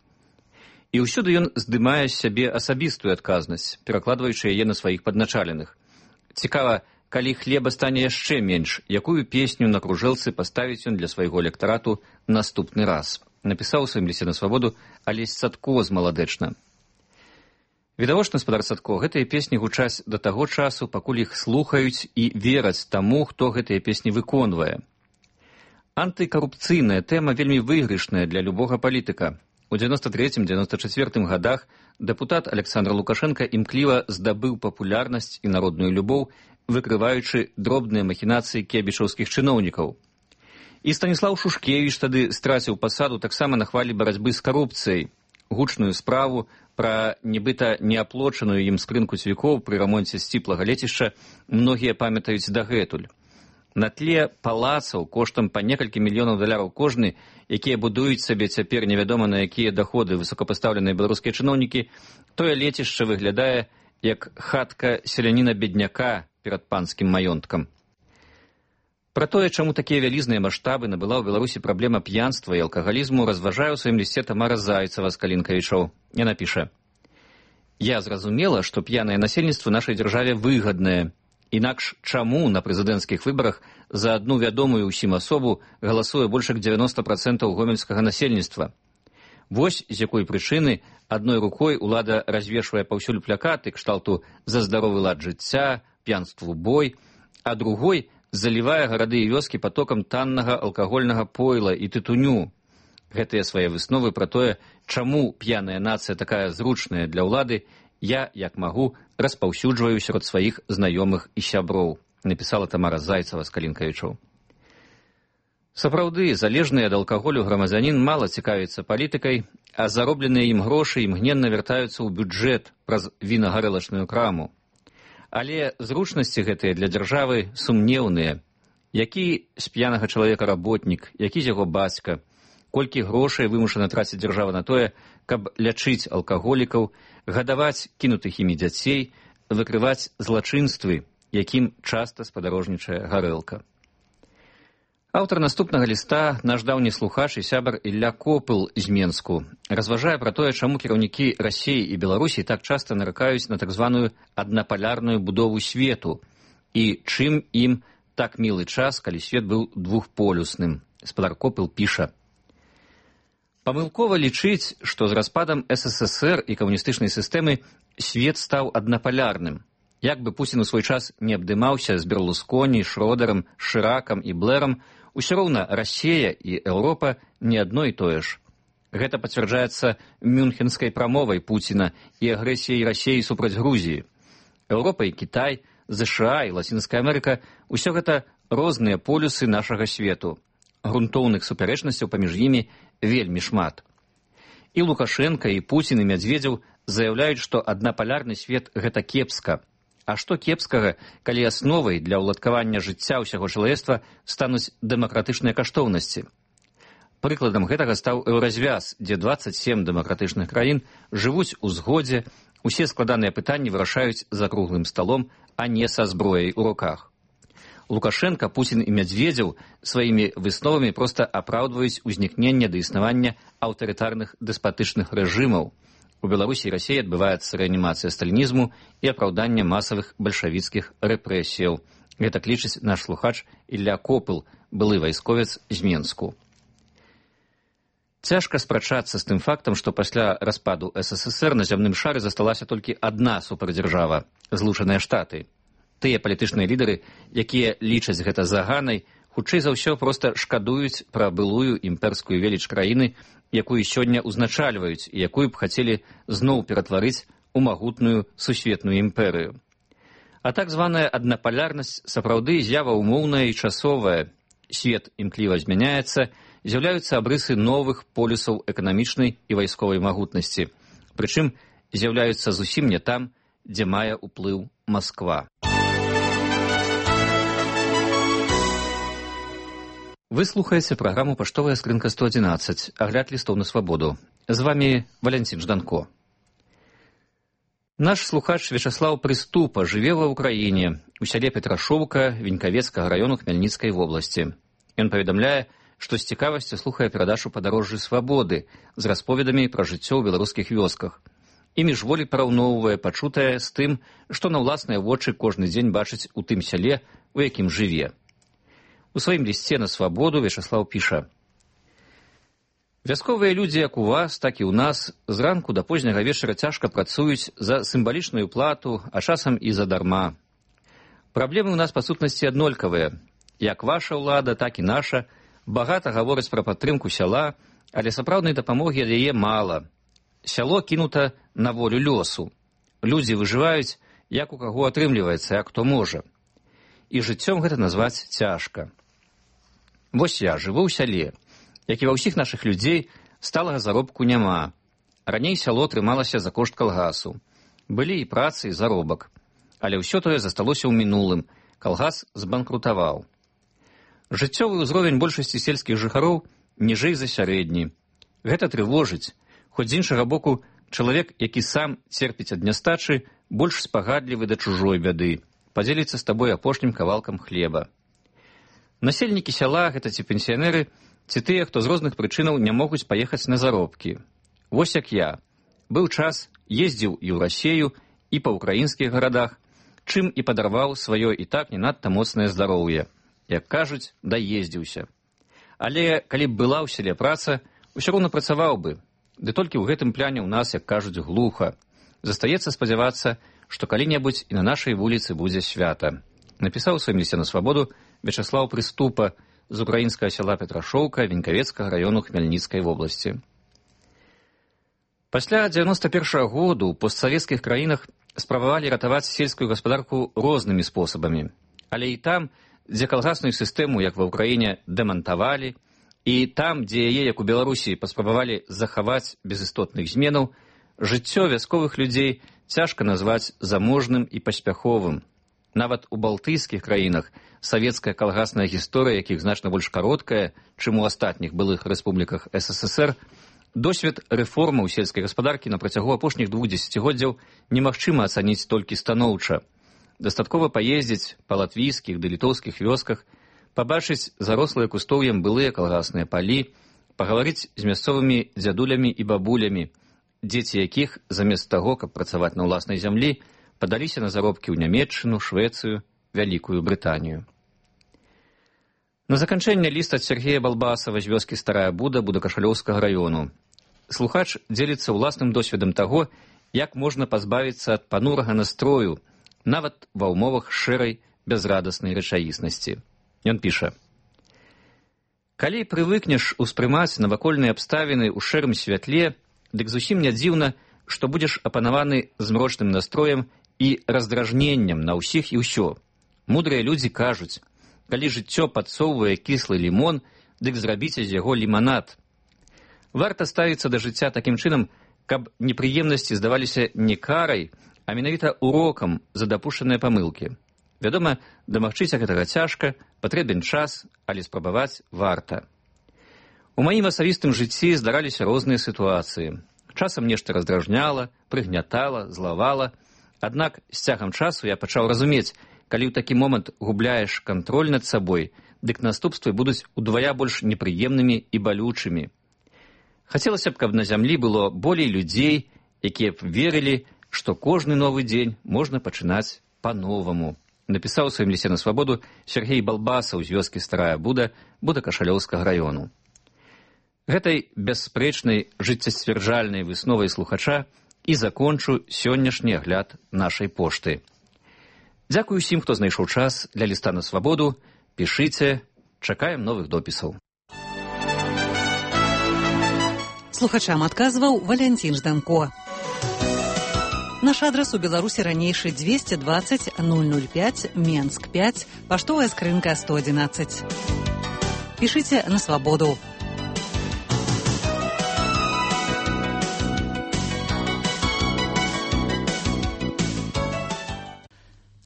І ўсюды ён здымае з сябе асабістую адказнасць, перакладваючы яе на сваіх падначаленых. Цікава, калі хлеба стане яшчэ менш, якую песню на кружэлцы паставіць ён для свайго электарату наступны раз. Напісаў у сваім лісце на свабоду Алесь Цадко з Маладэчна. Відавочна, спадар Цадко, гэтыя песні гучаць да таго часу, пакуль іх слухаюць і вераць таму, хто гэтыя песні выконвае. Антыкарупцыйная тэма вельмі выйгрышная для любога палітыка. У дзевяноста трэцім — дзевяноста чацвёртым гадах дэпутат Александр Лукашенка імкліва здабыў папулярнасць і народную любоў, выкрываючы дробныя махінацыі кебічаўскіх чыноўнікаў. І Станіслаў Шушкевіч тады страціў пасаду таксама на хвалі барацьбы з карупцыяй. Гучную справу пра нібыта неаплочаную ім скрынку цвікоў пры рамонце сціплага лецішча многія памятаюць дагэтуль. На тле палацаў коштам па некалькі мільёнаў даляраў кожны, якія будуюць сабе цяпер невядома на якія даходы высокапастаўленыя беларускія чыноўнікі, тое лецішча выглядае як хатка селяніна-бедняка перад панскім маёнткам. Пра тое, чаму такія вялізныя маштабы набыла ў Беларусі праблема п'янства і алкагалізму, разважае ў сваім лісце Тамара Зайцева з Калінкавічоў. Яна піша: «Я зразумела, што п'янае насельніцтва нашай дзяржаве выгаднае. Інакш чаму на прэзідэнцкіх выбарах за адну вядомую ўсім асобу галасуе больш як дзевяноста працэнтаў гомельскага насельніцтва? Вось з якой прычыны адной рукой улада развешвае паўсюль плакаты кшталту «За здаровы лад жыцця», «П'янству бой», а другой залівае гарады і вёскі потокам таннага алкагольнага пойла і тытуню. Гэтыя свае высновы пра тое, чаму п'яная нацыя такая зручная для ўлады, я, як магу, распаўсюджваю сярод сваіх знаёмых і сяброў», напісала Тамара Зайцева з Калінкавічоў. Сапраўды, залежны ад алкаголю грамадзянін мала цікавіцца палітыкай, а заробленыя ім грошы імгненна вяртаюцца ў бюджэт праз вінагарэлачную краму. Але зручнасці гэтыя для дзяржавы сумнеўныя. Які з п'янага чалавека работнік, які з яго бацька, колькі грошай вымушана траціць дзяржава на тое, каб лячыць алкаголікаў, гадаваць кінутых імі дзяцей, выкрываць злачынствы, якім часта спадарожнічае гарэлка. Аўтар наступнага ліста, наш даўні слухач і сябар Ілля Копыл з Менску, разважае пра тое, чаму кіраўнікі Расіі і Беларусі так часта наракаюць на так званую аднапалярную будову свету і чым ім так мілы час, калі свет быў двухполюсным. Спадар Копыл піша: «Памылкова лічыць, што з распадам эс эс эс эр і камуністычнай сістэмы свет стаў аднапалярным. Як бы Пуцін у свой час не абдымаўся з Берлусконі, Шродерам, Шыракам і Блэрам, усё роўна Расія і Еўропа не адно і тое ж. Гэта пацвярджаецца мюнхенскай прамовай Пуціна і агрэсіяй Расіі супраць Грузіі. Еўропа і Кітай, ЗША і Лацінская Амерыка – усё гэта розныя полюсы нашага свету. Грунтоўных супярэчнасцяў паміж імі вельмі шмат. І Лукашенка, і Пуцін, і Мядзведзеў заяўляюць, што аднапалярны свет – гэта кепска. А што кепскага, калі асновай для ўладкавання жыцця ўсяго чалавецтва стануць дэмакратычныя каштоўнасці? Прыкладам гэтага стаў еўразвяз, дзе дваццаць сем дэмакратычных краін жывуць у згодзе, усе складаныя пытанні вырашаюць за круглым сталом, а не са зброяй у руках. Лукашенка, Пуцін і Мядзведзеў сваімі высновамі проста апраўдваюць узнікненне да існавання аўтарытарных дэспатычных рэжымаў. У Беларусі і Расіі адбываецца рэанімацыя сталінізму і апраўданне масавых бальшавіцкіх рэпрэсіяў. Гэта лічыць наш слухач Ілля Копыл, былы вайсковец з Менску. Цяжка спрачацца з тым фактам, што пасля распаду эс эс эс эр на зямным шары засталася толькі адна супердзяржава – Злучаныя Штаты. Тыя палітычныя лідары, якія лічаць гэта заганай, хутчэй за ўсё проста шкадуюць пра былую імперскую веліч краіны, якую сёння ўзначальваюць і якую б хацелі зноў ператварыць у магутную сусветную імперыю. А так званая аднапалярнасць сапраўды з'ява умоўная і часовая. Свет імкліва змяняецца, з'яўляюцца абрысы новых полюсаў эканамічнай і вайсковай магутнасці. Прычым з'яўляюцца зусім не там, дзе мае ўплыў Масква. Вы слухаеце праграму «Паштовая скрынка сто адзінаццаць», агляд лістоў на свабоду. З вамі Валянцін Жданко. Наш слухач Вячаслаў Прыступа жыве ва ўкраіне, у сяле Петрашоўка Венькавецкага раёну Хмельніцкай вобласці. Ён паведамляе, што з цікавасцю слухае перадачу «Падарожжы свабоды» з расповедамі пра жыццё ў беларускіх вёсках. І міжволі параўноўвае пачутае з тым, што на ўласныя вочы кожны дзень бачыць у тым сяле, у якім жыве. У сваім лісце на свабоду Вячаслаў піша: «Вясковыя людзі, як у вас, так і ў нас, зранку да позняга вечара цяжка працуюць за сімвалічную плату, а часам і задарма. Праблемы ў нас па сутнасці аднолькавыя. Як ваша ўлада, так і наша. Багата гавораць пра падтрымку сяла, але сапраўднай дапамогі ад яе мала. Сяло кінута на волю лёсу. Людзі выжываюць, як у каго атрымліваецца, як хто можа. І жыццём гэта назваць цяжка. Вось я жыву ў сяле. Як і ва ўсіх нашых людзей, сталага заробку няма. Раней сяло трымалася за кошт калгасу. Былі і працы, і заробак. Але ўсё тое засталося ў мінулым. Калгас збанкрутаваў. Жыццёвы ўзровень большасці сельскіх жыхароў ніжэй за сярэдні. Гэта трывожыць. Хоць з іншага боку, чалавек, які сам церпіць ад нястачы, больш спагадлівы да чужой бяды. Падзеліцца з табой апошнім кавалкам хлеба. Насельнікі сяла – гэта ці пенсіянеры, ці тыя, хто з розных прычынаў не могуць паехаць на заробкі. Вось як я. Быў час, ездзіў і ў Расею, і па ўкраінскіх гарадах, чым і падарваў сваё і так не надта моцнае здароўе. Як кажуць, даездзіўся. Але калі б была ў селе праца, усё роўна працаваў бы. Ды толькі ў гэтым пляне ў нас, як кажуць, глуха. Застаецца спадзявацца, што калі-небудзь і на нашай вуліцы будзе свята. Напісаў у сваім лісце на свабоду Вячаслаў Прыступа з украінскага сяла Петрашоўка Венькавецкага раёну Хмельніцкай вобласці. Пасля дзевяноста першага году ў постсавецкіх краінах спрабавалі ратаваць сельскую гаспадарку рознымі спосабамі. Але і там, дзе калгасную сістэму, як ва ўкраіне, дэмантавалі, і там, дзе яе, як у Беларусі, паспрабавалі захаваць без істотных зменаў, жыццё вясковых людзей цяжка назваць заможным і паспяховым. Нават у балтыйскіх краінах савецкая калгасная гісторыя, якіх значна больш кароткая, чым у астатніх былых рэспубліках эс эс эс эр, досвед рэформаў сельскай гаспадаркі на працягу апошніх двух дзесяцігоддзяў немагчыма ацаніць толькі станоўча. Дастаткова паездзіць па латвійскіх ды літоўскіх вёсках, пабачыць зарослыя кустоўем былыя калгасныя палі, пагаварыць з мясцовымі дзядулямі і бабулямі, дзеці якіх, замест таго, каб працаваць на ўласнай зямлі, падаліся на заробкі ў Нямецчыну, Швецыю, Вялікую Брытанію. На заканчэнне ліст ад Сергея Балбасава з вёскі Старая Буда Будакашалёўскага раёну. Слухач дзеліцца ўласным досведам таго, як можна пазбавіцца ад панурага настрою, нават ва ўмовах шэрай бязрадаснай рэчаіснасці. Ён піша: «Калі прывыкнеш успрымаць навакольныя абставіны ў шэрым святле, дык зусім не дзіўна, што будзеш апанаваны змрочным настроем і раздражненнем на ўсіх і ўсё. Мудрыя людзі кажуць, калі жыццё падсоўвае кіслы лімон, дык зрабіце з яго ліманад. Варта ставіцца да жыцця такім чынам, каб непрыемнасці здаваліся не карай, а менавіта урокам за дапушчаныя памылкі. Вядома, дамагчыся гэтага цяжка, патрэбен час, але спрабаваць варта. У маім асабістым жыцці здараліся розныя сітуацыі. Часам нешта раздражняла, прыгнятала, злавала. Аднак з цягам часу я пачаў разумець, калі ў такі момант губляеш кантроль над сабой, дык наступствы будуць удвая больш непрыемнымі і балючымі. Хацелася б, каб на зямлі было болей людзей, якія б верылі, што кожны новы дзень можна пачынаць па-новаму. Напісаў у сваім лісце на свабоду Сергей Балбасаў з вёскі Старая Буда Будакашалёўскага раёну. Гэтай бясспрэчнай жыццесцвярджальнай высновай слухача і закончу сённяшні агляд нашай пошты. Дзякую усім, хто знайшоў час для ліста на свабоду. Пішыце, чакаем новых допісаў. Слухачам адказваў Валянцін Жданко. Наш адрас у Беларусі ранейшы двести двадцать ноль ноль пять, Менск пять, паштовая скрынка сто одиннадцать. Пішыце на свабоду.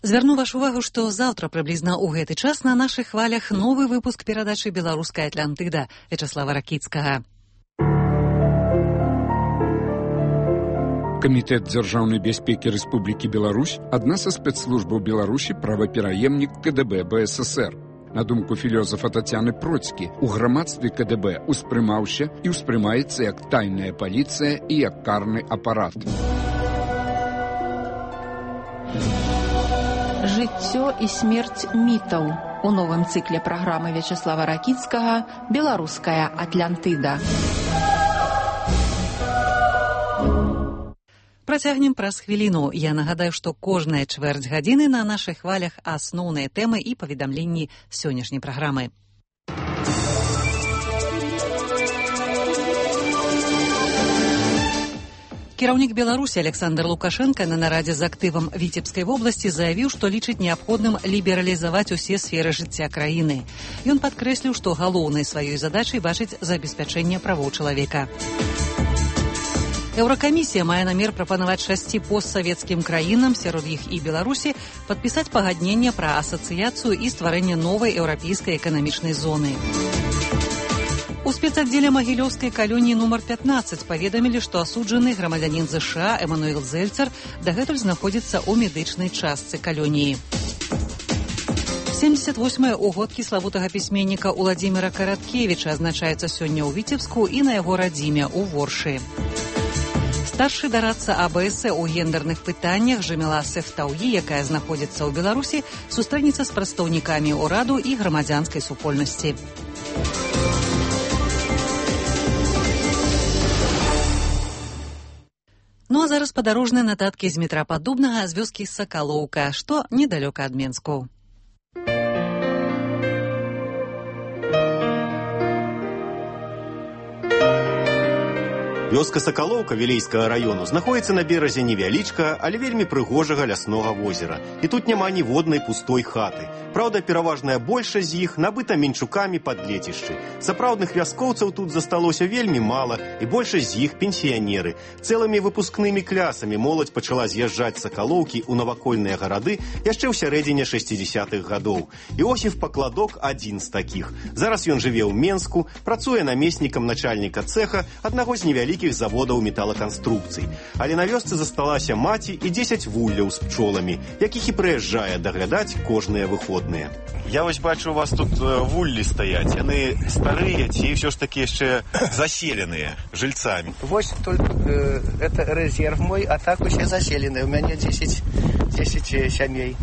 Звярну вашу увагу, што заўтра прыблізна ў гэты час на нашых хвалях новы выпуск перадачы «Беларуская Атлантыда» Вячеслава Ракіцкага. Камітэт дзяржаўнай бяспекі Рэспублікі Беларусь – адна са спецслужбаў Беларусі правапераемнік КДБ БССР. На думку філёзафа Тацяны Процькі, у грамадстве КДБ успрымаўся і ўспрымаецца як тайная паліцыя і як карны апарат. Жыццё і смерць мітаў у новым цыкле праграмы Вячеслава Ракіцкага «Беларуская Атлантыда». Працягнем праз хвіліну. Я нагадаю, што кожная чвэрць гадзіны на нашых хвалях асноўныя тэмы і паведамленні сённяшняй праграмы. Кіраўнік Беларусі Александр Лукашенко на нарадзе з актывам Віцебскай вобласці заявіў, што лічыць неабходным лібералізаваць усе сферы жыцця краіны. Ён падкрэсліў, што галоўнай сваёй задачай бачыць забеспячэнне правоў чалавека. Еўракамісія мае намер прапанаваць шасці постсавецкім краінам, сярод іх і Беларусі, падпісаць пагадненне пра асацыяцыю і стварэнне новай еўрапейскай эканамічнай зоны. У спецаддзеле магілёўскай калоніі нумар пятнаццаць паведамілі, што асуджаны грамадзянін ЗША Эмануэл Зельцер дагэтуль знаходзіцца ў медычнай частцы калоніі. семьдесят восьмыя ўгодкі славутага пісьменніка Уладзіміра Караткевіча адзначаецца сёння ў Віцебску і на яго радзіме ў Воршы. Старшы дарадца АБС у гендерных пытаннях Жаміла Сефтауі, якая знаходзіцца ў Беларусі, сустрэнецца з прадстаўнікамі ўраду і грамадзянскай супольнасці. Ну а зараз падарожныя нататкі з метра Падобнага з вёскі Сакалоўка, што недалёка ад Менску. Вёска Сакалоўка Вілейскага раёну знаходіцца на беразе невялічкага, але вельмі прыгожага ляснога возера. І тут няма ніводнай пустой хаты. Праўда, пераважная большасць з іх набыта менчукамі пад лецішчы. Сапраўдных вяскоўцаў тут засталося вельмі мала, і большасць з іх пенсіянеры. Цэлымі выпускнымі клясамі моладзь пачала з'язджаць з Сакалоўкі ў навакольныя гарады яшчэ ў сярэдзіне шэсцідзесятых гадоў. Іосіф Пакладок адзін з такіх. Зараз ён жыве ў Менску, працуе намеснікам начальніка цэха аднаго з невялікіх заводаў металаканструкцый. Але на вёсцы засталася маці і дзесяць вулляў з пчоламі, якіх і прыязджае даглядаць кожныя выходныя. Я вось бачу, у вас тут вуллі стаяць. Яны старыя ці ўсё ж такі яшчэ заселеныя жильцамі? Вось только э, это резерв мой, а так усе заселеныя. У мяне десять сямей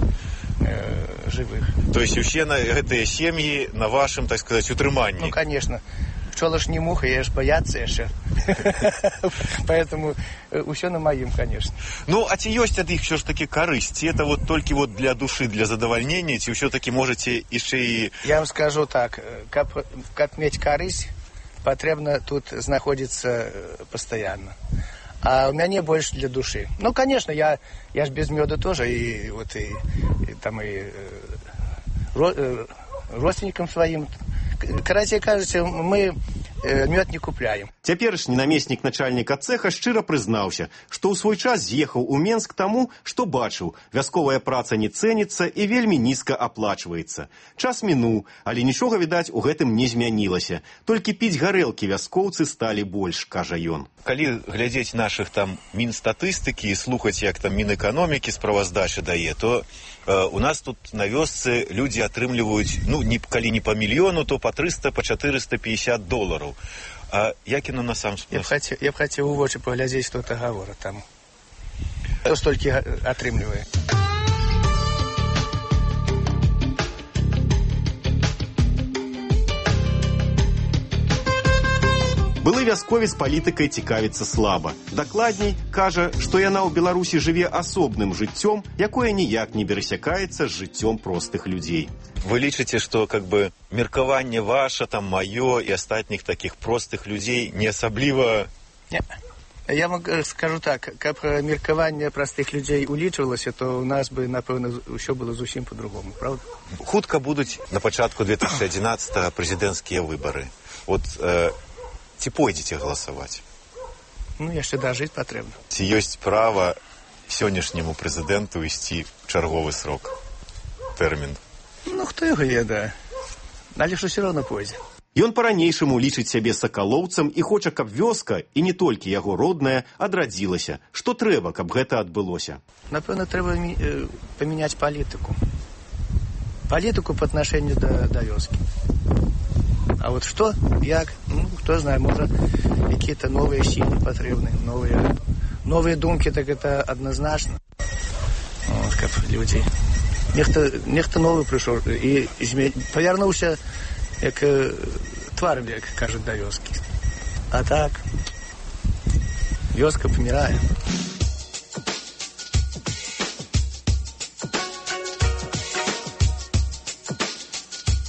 э, живых. То есть усе на гэтыя сем'і на вашым, так сказать, утрыманні? Ну, конечно. Пчола ж не муха, я ж бояться яшчэ. Поэтому усё на маім, конечно. Ну, а ці ёсць ад іх ўсё ж такі карысць? Ці это вот толькі вот для душы, для задавальнення, ці ўсё-такі можаце яшчэ і... Я вам скажу так, каб, каб мець карысць, патрэбна тут знаходзіцца пастаянна. А у мяне больш для душы. Ну, конечно, я, я ж без мёду тоже, и вот и, и там и ро, родственникам своим. Карацей кажучи, мы мёд не купляем. Цяперашні намеснік начальніка цэха шчыра прызнаўся, што ў свой час з'ехаў у Менск таму, што бачыў, вясковая праца не цэніцца і вельмі нізка аплачваецца. Час мінуў, але нічога, відаць, у гэтым не змянілася. Толькі піць гарэлкі вяскоўцы сталі больш, кажа ён. Калі глядзець нашых там мінстатыстыкі і слухаць, як там Мінэканомікі справаздачы дае, то э, у нас тут на вёсцы людзі атрымліваюць, ну, не, калі не па мільёну, то па трыста, па чатырыста пятьдесят долараў. А як яно на сам Я б хацеў, я б хацеў у вочы паглядзець, што это гавора там. Хто столькі атрымлівае? Былы вясковец палітыкай цікавіцца слаба. Дакладней, кажа, што яна ў Беларусі жыве асобным жыццём, якое ніяк не перасякаецца з жыццём простых людзей. Вы лічыце, што как бы меркаванне ваше, там маё і астатніх такіх простых людзей не асабліва... Не. Я вам скажу так, каб меркаванне простых людзей улічвалася, то у нас бы, напэўна, ўсё было зусім по-другому, правда? Хутка будуць на пачатку две тысячи одиннадцатого прэзідэнцкія выбары. Вот э, ці пойдзеце галасаваць? Ну, яшчэ дажыць патрэбна. Ці ёсць права сённяшняму прэзідэнту ісці чарговы срок, тэрмін? Ну, хто яго ведае? Але ж усё роўна пойдзе. Ён па-ранейшаму лічыць сябе сакалоўцам і хоча, каб вёска, і не толькі яго родная, адрадзілася. Што трэба, каб гэта адбылося? Напэўна, трэба э, памяняць палітыку. Палітыку па аднашэнню да, да вёскі. А вот што, як, ну, хто знае, можа, якія-то новыя сілы патрэбны, новыя, новыя думкі, так это адназначна. Вот, каб людзі. Нехта, нехта новы прыйшоў і зме... павярнуўся як твар, як кажуць, да вёскі. А так, вёска памірае.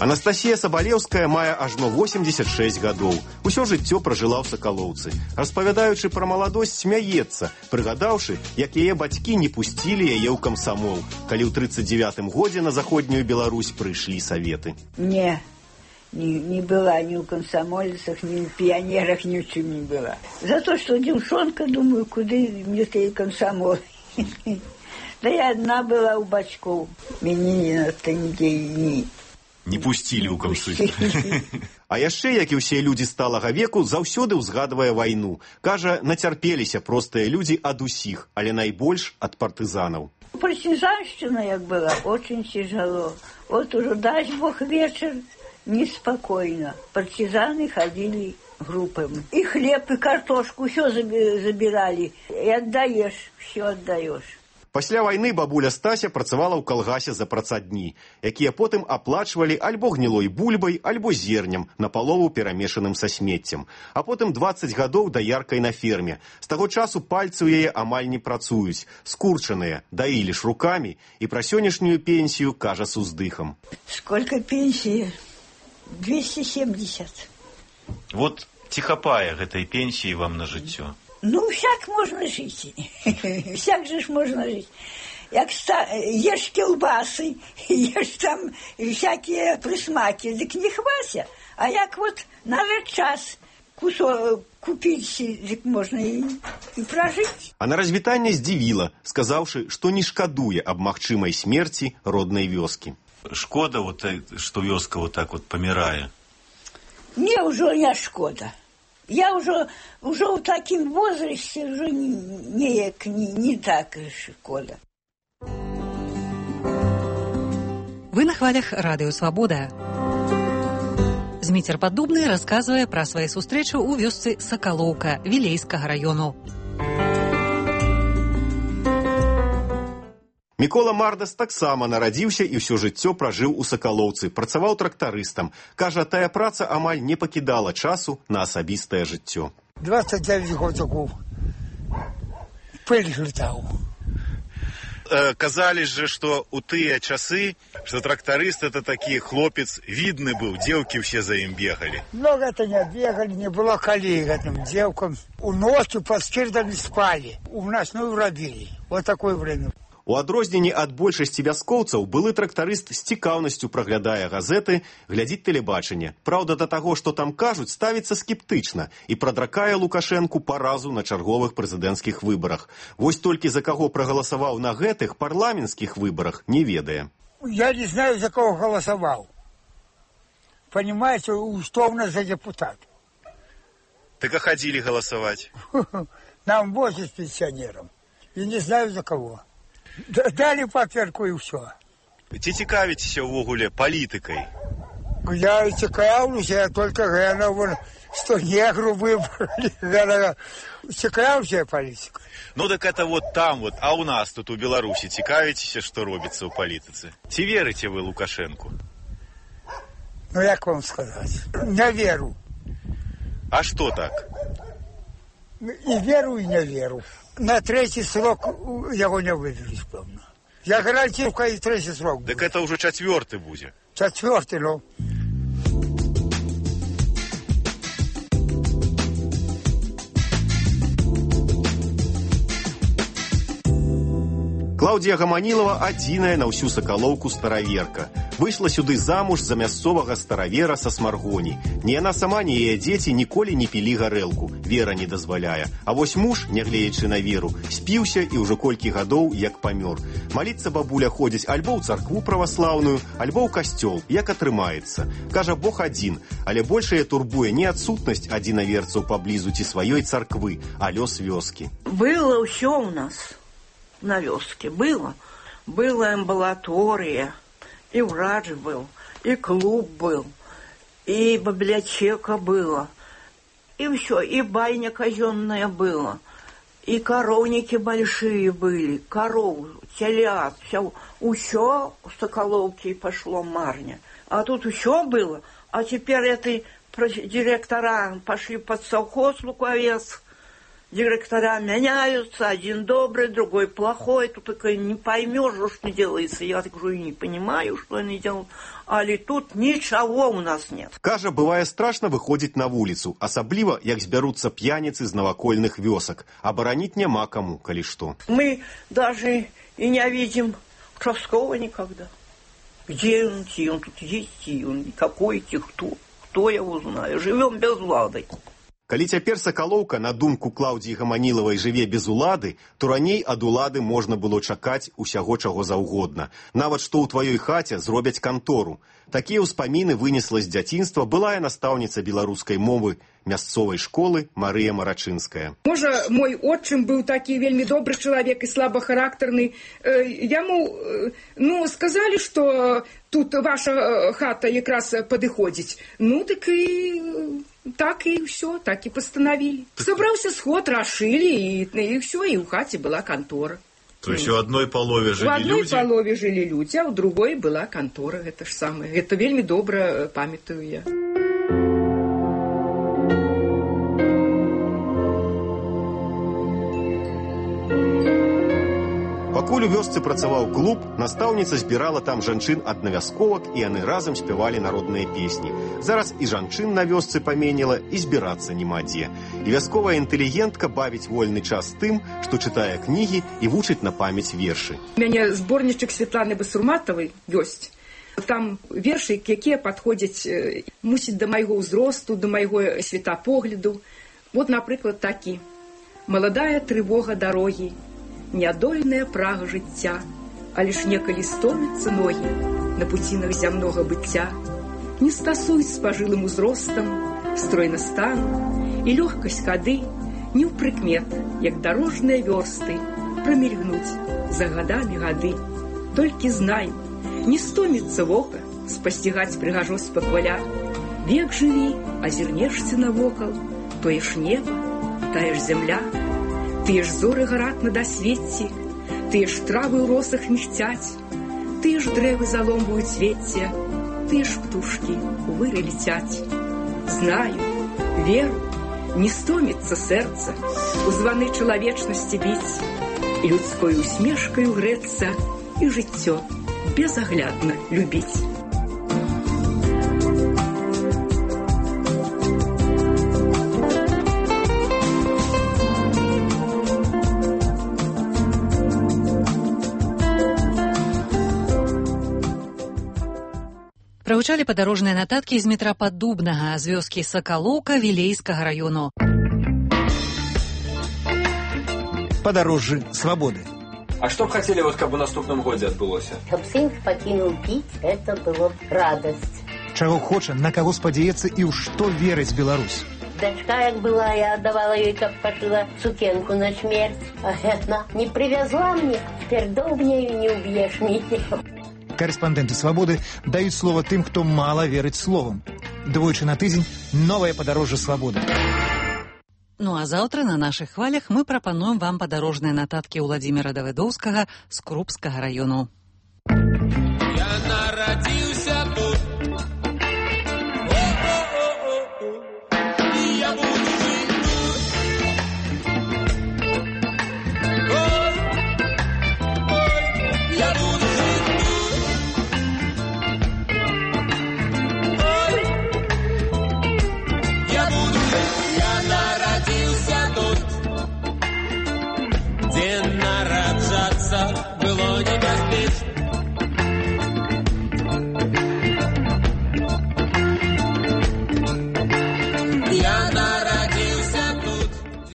Анастасія Сабалеўская мае ажно восемьдесят шесть гадоў. Усё жыццё пражыла ў Сакалоўцы. Распавядаючы пра маладосць, смяецца, прыгадаўшы, як яе бацькі не пусцілі яе ў камсамол, калі ў тридцать девятым годзе на заходнюю Беларусь прыйшлі саветы. Не. Не, не была ни у комсомольцах, ни у пионерах, ни у чем не была. За то, что девчонка, думаю, куда мне ты комсомол. Да я одна была у бачков. Меня на-то нигде не... Не пусцілі ў камсы. А яшчэ, як і ўсе людзі сталага веку, заўсёды ўзгадвае вайну. Кажа, нацярпеліся простыя людзі ад усіх, але найбольш ад партызанаў. Партизанщина, як была, очень тяжело. Вот уже, дай Бог, вечер, неспокойно. Партизаны ходили группами. И хлеб, и картошку, все забирали. И отдаешь, все отдаешь. Пасля вайны бабуля Стася працавала ў калгасе за працадні, якія потым аплачвалі альбо гнілой бульбай, альбо зернем, напалову перамешаным са смеццем. А потым дваццаць гадоў даяркай на ферме. З таго часу пальцы ў яе амаль не працуюць, скурчаныя, даілі ж рукамі, і пра сённяшнюю пенсію кажа с уздыхам. Сколько пенсии? двести семьдесят. Вот ці хапае гэтай пенсіі вам на жыццё? Ну, всяк можно жить. Всяк же ж можно жить. Як ста... ешь кілбасы, ешь там всякие присмаки, дык не хвася. А як вот надо час кусок купить, дык можно и, и прожить. А на развітанне здзівіла, сказаўшы, што не шкадуе аб магчымай смерці роднай вёскі. Шкода, вот, што вёска вот так вот памірае? Мне уже не шкода. Я уже, уже в таком возрасте уже не, не, не, не так шкода. Вы на хвалях Радыё Свабода. Зміцер Паддубны расказвае пра свае сустрэчы ў вёсцы Сакалоўка Вілейскага раёну. Мікола Мардас таксама нарадзіўся і ўсё жыццё пражыў у Сакалоўцы, працаваў трактарыстам. Кажа, тая праца амаль не пакідала часу на асабістае жыццё. двадцать девять годиков пыль летал. Э, казали же, что у тыя часы, что тракторист это такі хлопец видны был, девки все за ім бегали. Много это не бегали, не было коллег этим девкам. У ночью под скирдами спали, у нас ну робили. Вот такое время. У адрозненні ад большасці вяскоўцаў былы трактарыст з цікаўнасцю праглядае газеты, глядзіць тэлебачанне. Праўда, да таго, што там кажуць, ставіцца скептычна і прадракае Лукашэнку паразу на чарговых прэзідэнцкіх выбарах. Вось толькі за каго прагаласаваў на гэтых парламенцкіх выбарах, не ведае. Я не знаю, за кого голосовал. Понимаете, что у нас за депутат? Так а ходили голосовать? Нам возят пенсионерам. И не знаю, за кого. Дали паперку и все. Ці цікавіцеся ўвогуле палітыкай? Я цікаўлюся, я только гляну, что негру выбрали. Цікаўлюся палітыкай. Ну так это вот там вот, а у нас тут у Беларусі цікавіцеся, што робіцца ў палітыцы? Ці верыце вы Лукашэнку? Ну як вам сказаць? Не веру. А что так? И веру, и не веру. На третий срок его не вывели, певно. Я гарантирую, и третий срок. Так это уже четвертый будет. Четвертый, ну. Клаўдія Гаманілова адзіная на ўсю Сакалоўку стараверка. Выйшла сюды замуж за мясцовага старавера са Смаргоні. Ні яна сама, ні яе дзеці ніколі не пілі гарэлку. Вера не дазваляе. А вось муж, нягледзячы на веру, спіўся і ўжо колькі гадоў як памёр. Маліцца бабуля ходзіць альбо ў царкву праваслаўную, альбо ў касцёл, як атрымаецца. Кажа, Бог адзін, але большая турбуе не адсутнасць адзінаверцаў паблізу ці сваёй царквы, а лёс вёскі. Было ўсё ў нас. На вёске было. Была амбулатория, и врач был, и клуб был, и библиотека была, и все, и байня казенная была, и коровники большие были, коров, телят, все, все в Соколовке пошло марня. А тут все было, а теперь эти директора пошли под совхоз Луковец. Директора меняются, один добрый, другой плохой, тут такой не поймешь, что делается. Я так говорю, не понимаю, что они делают. Але тут ничего у нас нет. Кажа, бывае страшно выходзіць на вуліцу, асабліва, як збяруцца п'яніцы з навакольных вёсак. Абараніць няма кому, калі што. Мы даже и не видим участкового никогда. Где он, и он тут есть, и он какой, и кто, кто его знает. Живем без влады. Калі цяпер Сакалоўка, на думку Клаўдіі Гаманілавай, жыве без улады, то раней ад улады можна было чакаць усяго чаго заўгодна. Нават што ў тваёй хаце зробяць кантору. Такія ўспаміны вынесла з дзяцінства былая настаўніца беларускай мовы мясцовай школы Марыя Марачынская. Можа, мой отчым быў такі вельмі добры чалавек і слабахарактарны. Яму, ну, сказалі, што тут ваша хата якраз падыходзіць. Ну, так і... Так и все, так и постановили. Собрался сход, расшили, и, и все, и в хате была контора. То есть в одной полове жили люди? В одной люди? полове жили люди, а в другой была контора, это же самое. Это вельми добро памятую я. Пакуль у вёсцы працаваў клуб, настаўніца збірала там жанчын ад навясковак, і яны разам спявалі народныя песні. Зараз і жанчын на вёсцы паменела, і збірацца няма дзе. І вясковая інтэлігентка бавіць вольны час тым, што чытае кнігі і вучыць на памяць вершы. У мяне зборнічак Светланы Басурматавай ёсць. Там вершы, якія падходзяць, мусіць, да майго ўзросту, да майго светапогляду. Вот, напрыклад, такі. «Маладая трывога дарогі, нядольная прага жыцця, але ж некалі стомяцца ногі на пуцінах зямнога быцця, не стасуюць з пажылым узростам, стройна стану, і лёгкасць хады не ў прыкмет, як дарожныя вёрсты, прамільгнуць за гадамі гады. Толькі знай, не стоміцца вока спасцігаць прыгажосць пахваля. Век жыві, азірнешся навокал, тое ж неба, тая ж зямля. Тыя ж зоры гараць на дасвецці, тыя ж травы ў росах мігцяць, тыя ж дрэвы заломваюць цвецце, тыя ж птушкі у выры летяць. Знаю, веру, не стоміцца сэрца у званы чалавечнасці біць, і людской усмешкаю грэцца, і жыццё безаглядна любіць. Прагучалі падарожныя нататкі з метра Паддубнага з вёскі Сакалоўка Вілейскага раёну. Падарожжы свабоды. А что б хотели, вот, как бы, в наступном годе отбылось? Чтоб сын покинул пить, это было радость. Чего хоча, на кого спадзяецца і ў што верыць Беларусь. Дочка, як была, я отдавала ей, как пошила сукенку на смерть. А она не привезла мне, теперь долбнею не убьешь ничего. Корреспонденты «Свободы» дают слово тем, кто мало верит словам. Двойчы на тыдзень новое падарожжа свабоды. Ну а заўтра на нашых хвалях мы прапануем вам падарожныя нататкі Уладзіміра Давыдоўскага з Крупскага раёну. Я народил